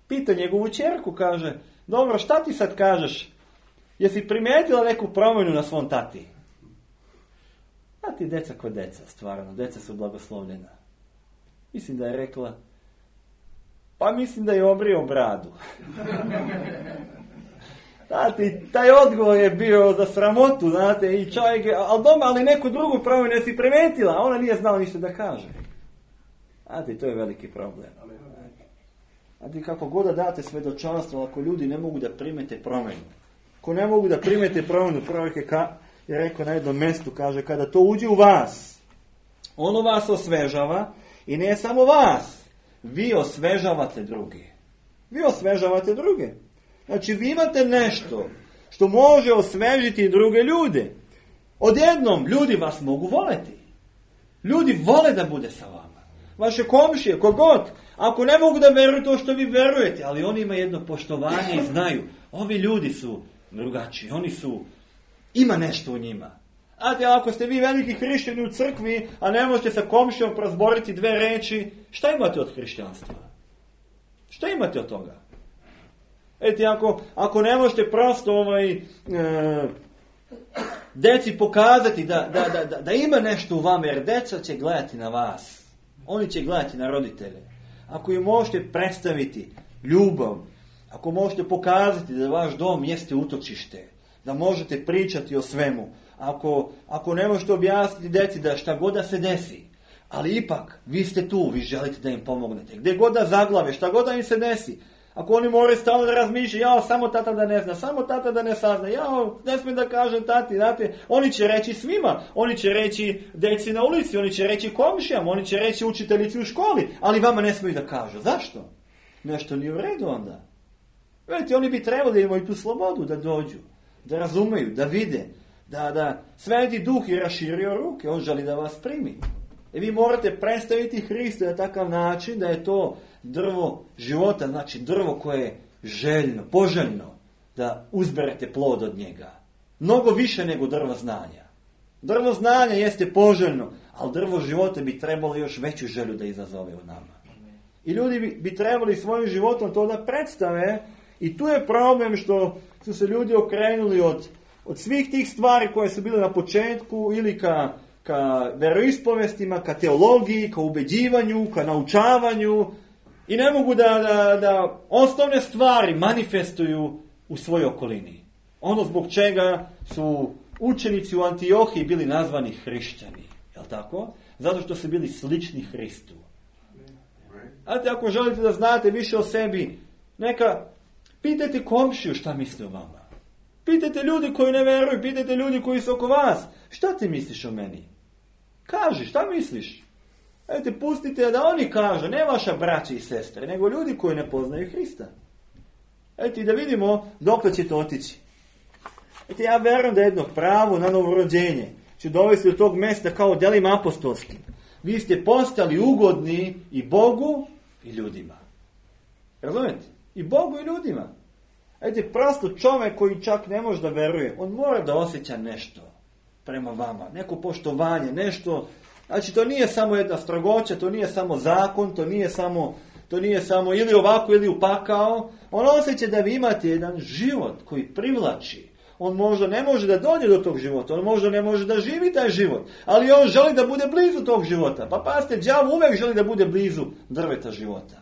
Pita njegovu ćerku, kaže, dobro, šta ti sad kažeš? Jesi primijetila neku promjenu na svom tati? A ti deca ko deca, stvarno, deca su blagoslovljena. Mislim da je rekla, pa mislim da je obrio bradu. Znate, taj odgovor je bio za sramotu, znate, i čovjek je, ali neku drugu promjenu je si primetila, a ona nije znala ništa da kaže. Znate, to je veliki problem. Znate, kako god da date svedočanstvo, ako ljudi ne mogu da primete promjenu. Ako ne mogu da primete promjenu, prorok je rekao na jednom mjestu, kaže, kada to uđe u vas, Ono vas osvežava i ne samo vas. Vi osvežavate druge. Vi osvežavate druge. Znači vi imate nešto što može osvežiti druge ljude. Odjednom ljudi vas mogu voleti. Ljudi vole da bude sa vama. Vaše komšije, kogod. Ako ne mogu da veruju to što vi verujete, ali oni imaju jedno poštovanje i znaju. Ovi ljudi su drugačiji. Oni su, ima nešto u njima. Ako ste vi veliki hrišćani u crkvi, a ne možete sa komšijom prozboriti 2 reči, šta imate od hrišćanstva? Šta imate od toga? Ako ne možete prosto deci pokazati da ima nešto u vama, jer deca će gledati na vas. Oni će gledati na roditelje. Ako im možete predstaviti ljubav, ako možete pokazati da vaš dom jeste utočište, da možete pričati o svemu, ako ne možete objasniti deci da šta god da se desi, ali ipak vi ste tu, vi želite da im pomognete. Gdje god da zaglave, šta god da im se desi, ako oni moraju stalno da razmišljaju, samo tata da ne zna, samo tata da ne sazna, ne smijem da kažem tati, znate, oni će reći svima, oni će reći deci na ulici, oni će reći komšijama, oni će reći učiteljici u školi, ali vama ne smiju da kažu. Zašto? Nešto nije u redu onda. Vidite, oni bi trebali da imaju tu slobodu da dođu, da razumeju, da vide, da Sveti Duh je raširio ruke, on želi da vas primi. I vi morate predstaviti Hrista na takav način da je to drvo života, znači drvo koje je željno, poželjno da uzberete plod od njega. Mnogo više nego drvo znanja. Drvo znanja jeste poželjno, ali drvo života bi trebalo još veću želju da izazove u nama. I ljudi bi trebali svojim životom to da predstave i tu je problem što su se ljudi okrenuli od svih tih stvari koje su bile na početku ili ka veroispovestima, ka teologiji, ka ubeđivanju, ka naučavanju i ne mogu da osnovne stvari manifestuju u svojoj okolini. Ono zbog čega su učenici u Antiohiji bili nazvani hrišćani. Je li tako? Zato što su bili slični Hristu. Znate, ako želite da znate više o sebi, neka pitajte komšiju šta misle o vama. Pitajte ljudi koji ne veruju, pitajte ljudi koji su oko vas. Šta ti misliš o meni? Kaži, šta misliš? Pustite da oni kažu, ne vaša braća i sestre, nego ljudi koji ne poznaju Hrista. I da vidimo dok će to otići. Ja verujem da jedno pravo na novorođenje će dovesti do tog mjesta kao delima apostolskim. Vi ste postali ugodni i Bogu i ljudima. Razumijete? I Bogu i ljudima. Prosto čovjek koji čak ne može da veruje, on mora da osjeća nešto prema vama, neko poštovanje, nešto. Znači to nije samo jedna strogoća, to nije samo zakon, to nije samo ili ovako ili upakao. On osjeća da vi imate jedan život koji privlači. On možda ne može da dođe do tog života, on možda ne može da živi taj život, ali on želi da bude blizu tog života. Pa pazite, đavo uvek želi da bude blizu drveta života.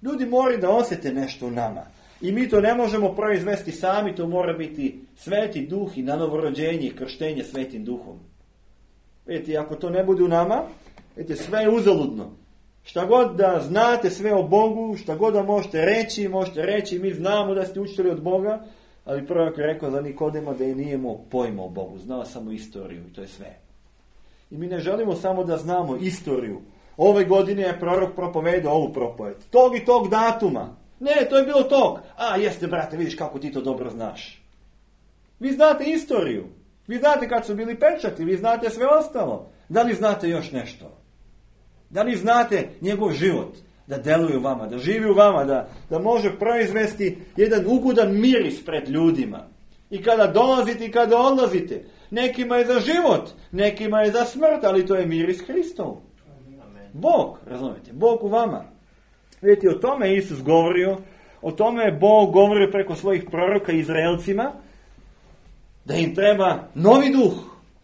Ljudi moraju da osjete nešto u nama. I mi to ne možemo proizvesti sami, to mora biti Sveti Duh i na novorođenje i krštenje Svetim Duhom. Vidite, ako to ne bude u nama, vidite, sve je uzaludno. Šta god da znate sve o Bogu, šta god da možete reći, mi znamo da ste učili od Boga, ali prorok je rekao za Nikodema da je nije imao pojma o Bogu, znao samo istoriju i to je sve. I mi ne želimo samo da znamo istoriju. Ove godine je prorok propovedao ovu propoved. Tog i tog datuma. Ne, to je bilo tog. Jeste brate, vidiš kako ti to dobro znaš. Vi znate istoriju. Vi znate kad su bili pečati, vi znate sve ostalo. Da li znate još nešto? Da li znate njegov život? Da deluje u vama, da živi u vama, da može proizvesti jedan ugodan miris pred ljudima. I kada dolazite i kada odlazite. Nekima je za život, nekima je za smrt, ali to je miris Hristov. Bog, razumijete, Bog u vama. Vidite, o tome je Isus govorio, o tome je Bog govorio preko svojih proroka Izraelcima, da im treba novi duh,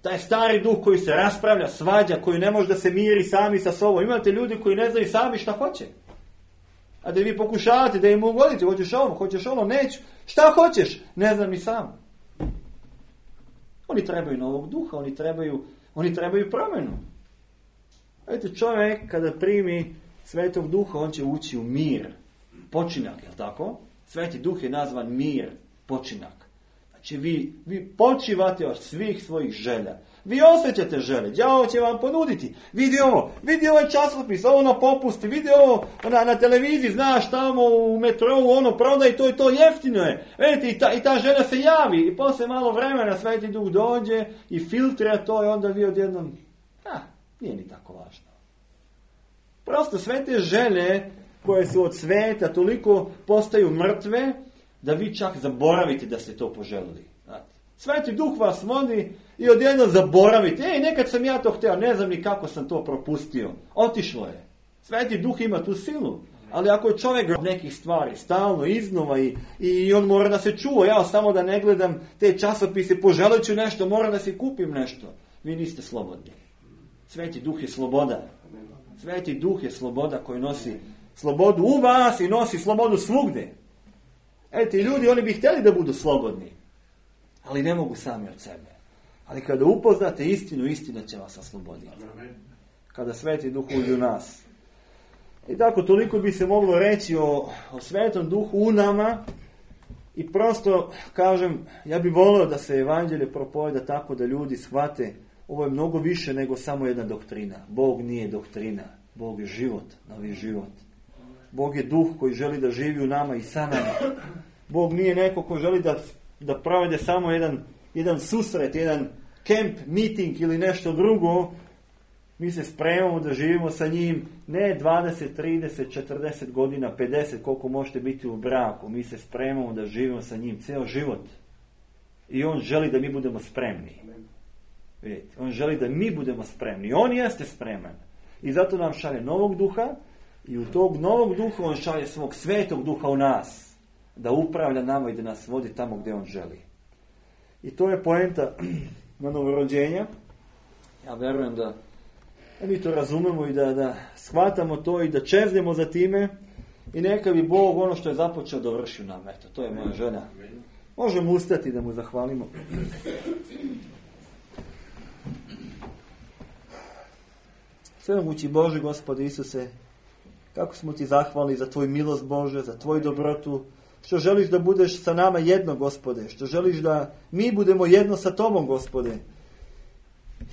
taj stari duh koji se raspravlja, svađa, koji ne može da se miri sami sa sobom. Imate ljudi koji ne znaju sami šta hoće. A da vi pokušavate da im ugodite, hoćeš ovo, neću. Šta hoćeš? Ne znam ni sam. Oni trebaju novog duha, oni trebaju promjenu. Vidite, čovjek kada primi Svetog Duha, on će ući u mir, počinak, je li tako? Sveti Duh je nazvan mir, počinak. Znači vi počivate od svih svojih želja. Vi osjećate želje. Đavo će vam ponuditi. Vidi ovaj časopis, ovo na popusti, vidi ovo na televiziji, znaš tamo u metrou, ono prodaj to i to, jeftino je. Vidite, i ta želja se javi i poslije malo vremena Sveti Duh dođe i filtrira to i onda vi odjednom, nije ni tako važno. Prosto sve te želje koje su od sveta toliko postaju mrtve da vi čak zaboravite da ste to poželili. Sveti Duh vas vodi i odjednom zaboravite. Nekad sam ja to htio, ne znam ni kako sam to propustio. Otišlo je. Sveti Duh ima tu silu. Ali ako je čovjek nekih stvari stalno, iznova i on mora da se čuva, ja samo da ne gledam te časopise, poželit ću nešto, moram da si kupim nešto. Vi niste slobodni. Sveti Duh je sloboda. Sveti Duh je sloboda koji nosi slobodu u vas i nosi slobodu svugdje. Ti ljudi, oni bi htjeli da budu slobodni. Ali ne mogu sami od sebe. Ali kada upoznate istinu, istina će vas osloboditi. Kada Sveti Duh uđe u nas. I tako toliko bi se moglo reći o Svetom Duhu u nama. I prosto kažem, ja bih volio da se evanđelje propoveda tako da ljudi shvate, ovo je mnogo više nego samo jedna doktrina. Bog nije doktrina. Bog je život, novi život. Bog je Duh koji želi da živi u nama i sa nama. Bog nije neko ko želi da provede samo jedan susret, jedan camp, meeting ili nešto drugo. Mi se spremamo da živimo sa njim ne 20, 30, 40 godina, 50, koliko možete biti u braku. Mi se spremamo da živimo sa njim ceo život. I on želi da mi budemo spremni. Vidite, on želi da mi budemo spremni. On jeste spreman. I zato nam šalje novog duha i u tog novog duha on šalje svog Svetog Duha u nas. Da upravlja nama i da nas vodi tamo gdje on želi. I to je poenta na novorođenja. Ja verujem da mi to razumemo i da shvatamo to i da čeznemo za time. I neka bi Bog ono što je započeo dovrši u nama. Eto, to je moja želja. Možemo ustati da mu zahvalimo. Svemogući Bože, Gospode Isuse, kako smo ti zahvalni za tvoju milost, Bože, za tvoju dobrotu, što želiš da budeš sa nama jedno, Gospode, što želiš da mi budemo jedno sa tobom, Gospode.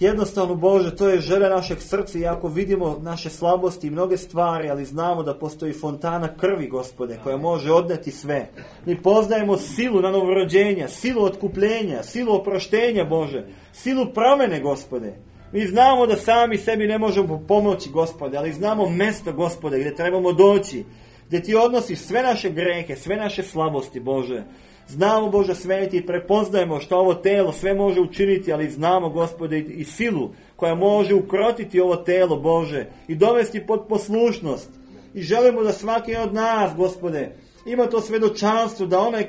Jednostavno, Bože, to je želja našeg srca, iako vidimo naše slabosti i mnoge stvari, ali znamo da postoji fontana krvi, Gospode, koja može odneti sve. Mi poznajemo silu na novorođenja, silu otkupljenja, silu oproštenja, Bože, silu promene, Gospode. Mi znamo da sami sebi ne možemo pomoći, Gospode, ali znamo mjesto, Gospode, gdje trebamo doći, gdje ti odnosiš sve naše grehe, sve naše slabosti, Bože. Znamo, Bože sveti, i prepoznajemo što ovo telo sve može učiniti, ali znamo, Gospode, i silu koja može ukrotiti ovo telo, Bože, i dovesti pod poslušnost. I želimo da svaki od nas, Gospode, ima to svedočanstvo, da onaj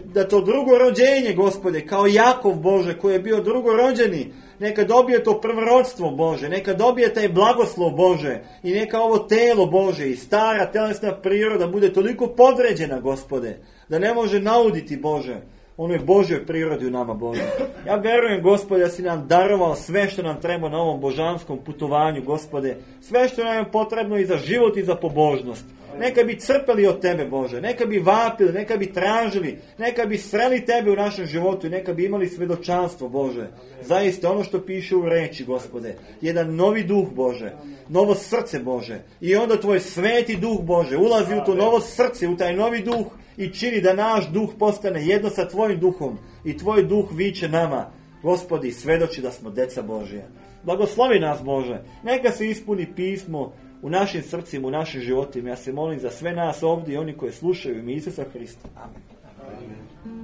da to drugo rođenje, Gospode, kao Jakov, Bože, koji je bio drugorođeni, neka dobije to prvorodstvo, Bože, neka dobije taj blagoslov, Bože, i neka ovo telo, Bože, i stara telesna priroda bude toliko podređena, Gospode, da ne može nauditi, Bože, onoj Božjoj prirodi u nama, Bože. Ja verujem, Gospode, da si nam darovao sve što nam treba na ovom božanskom putovanju, Gospode, sve što nam je potrebno i za život i za pobožnost. Neka bi crpeli od tebe, Bože, neka bi vapili, neka bi tražili, neka bi sreli tebe u našem životu i neka bi imali svedočanstvo, Bože. Zaista ono što piše u reči, Gospode, jedan novi duh, Bože, novo srce, Bože, i onda tvoj Sveti Duh, Bože, ulazi u to novo srce, u taj novi duh i čini da naš duh postane jedno sa tvojim duhom i tvoj duh viče nama, Gospodi, svedoči da smo deca Božja. Blagoslovi nas, Bože, neka se ispuni pismo u našim srcima, u našim životima. Ja se molim za sve nas ovdje i oni koji slušaju ime Isusa Hrista. Amen. Amen.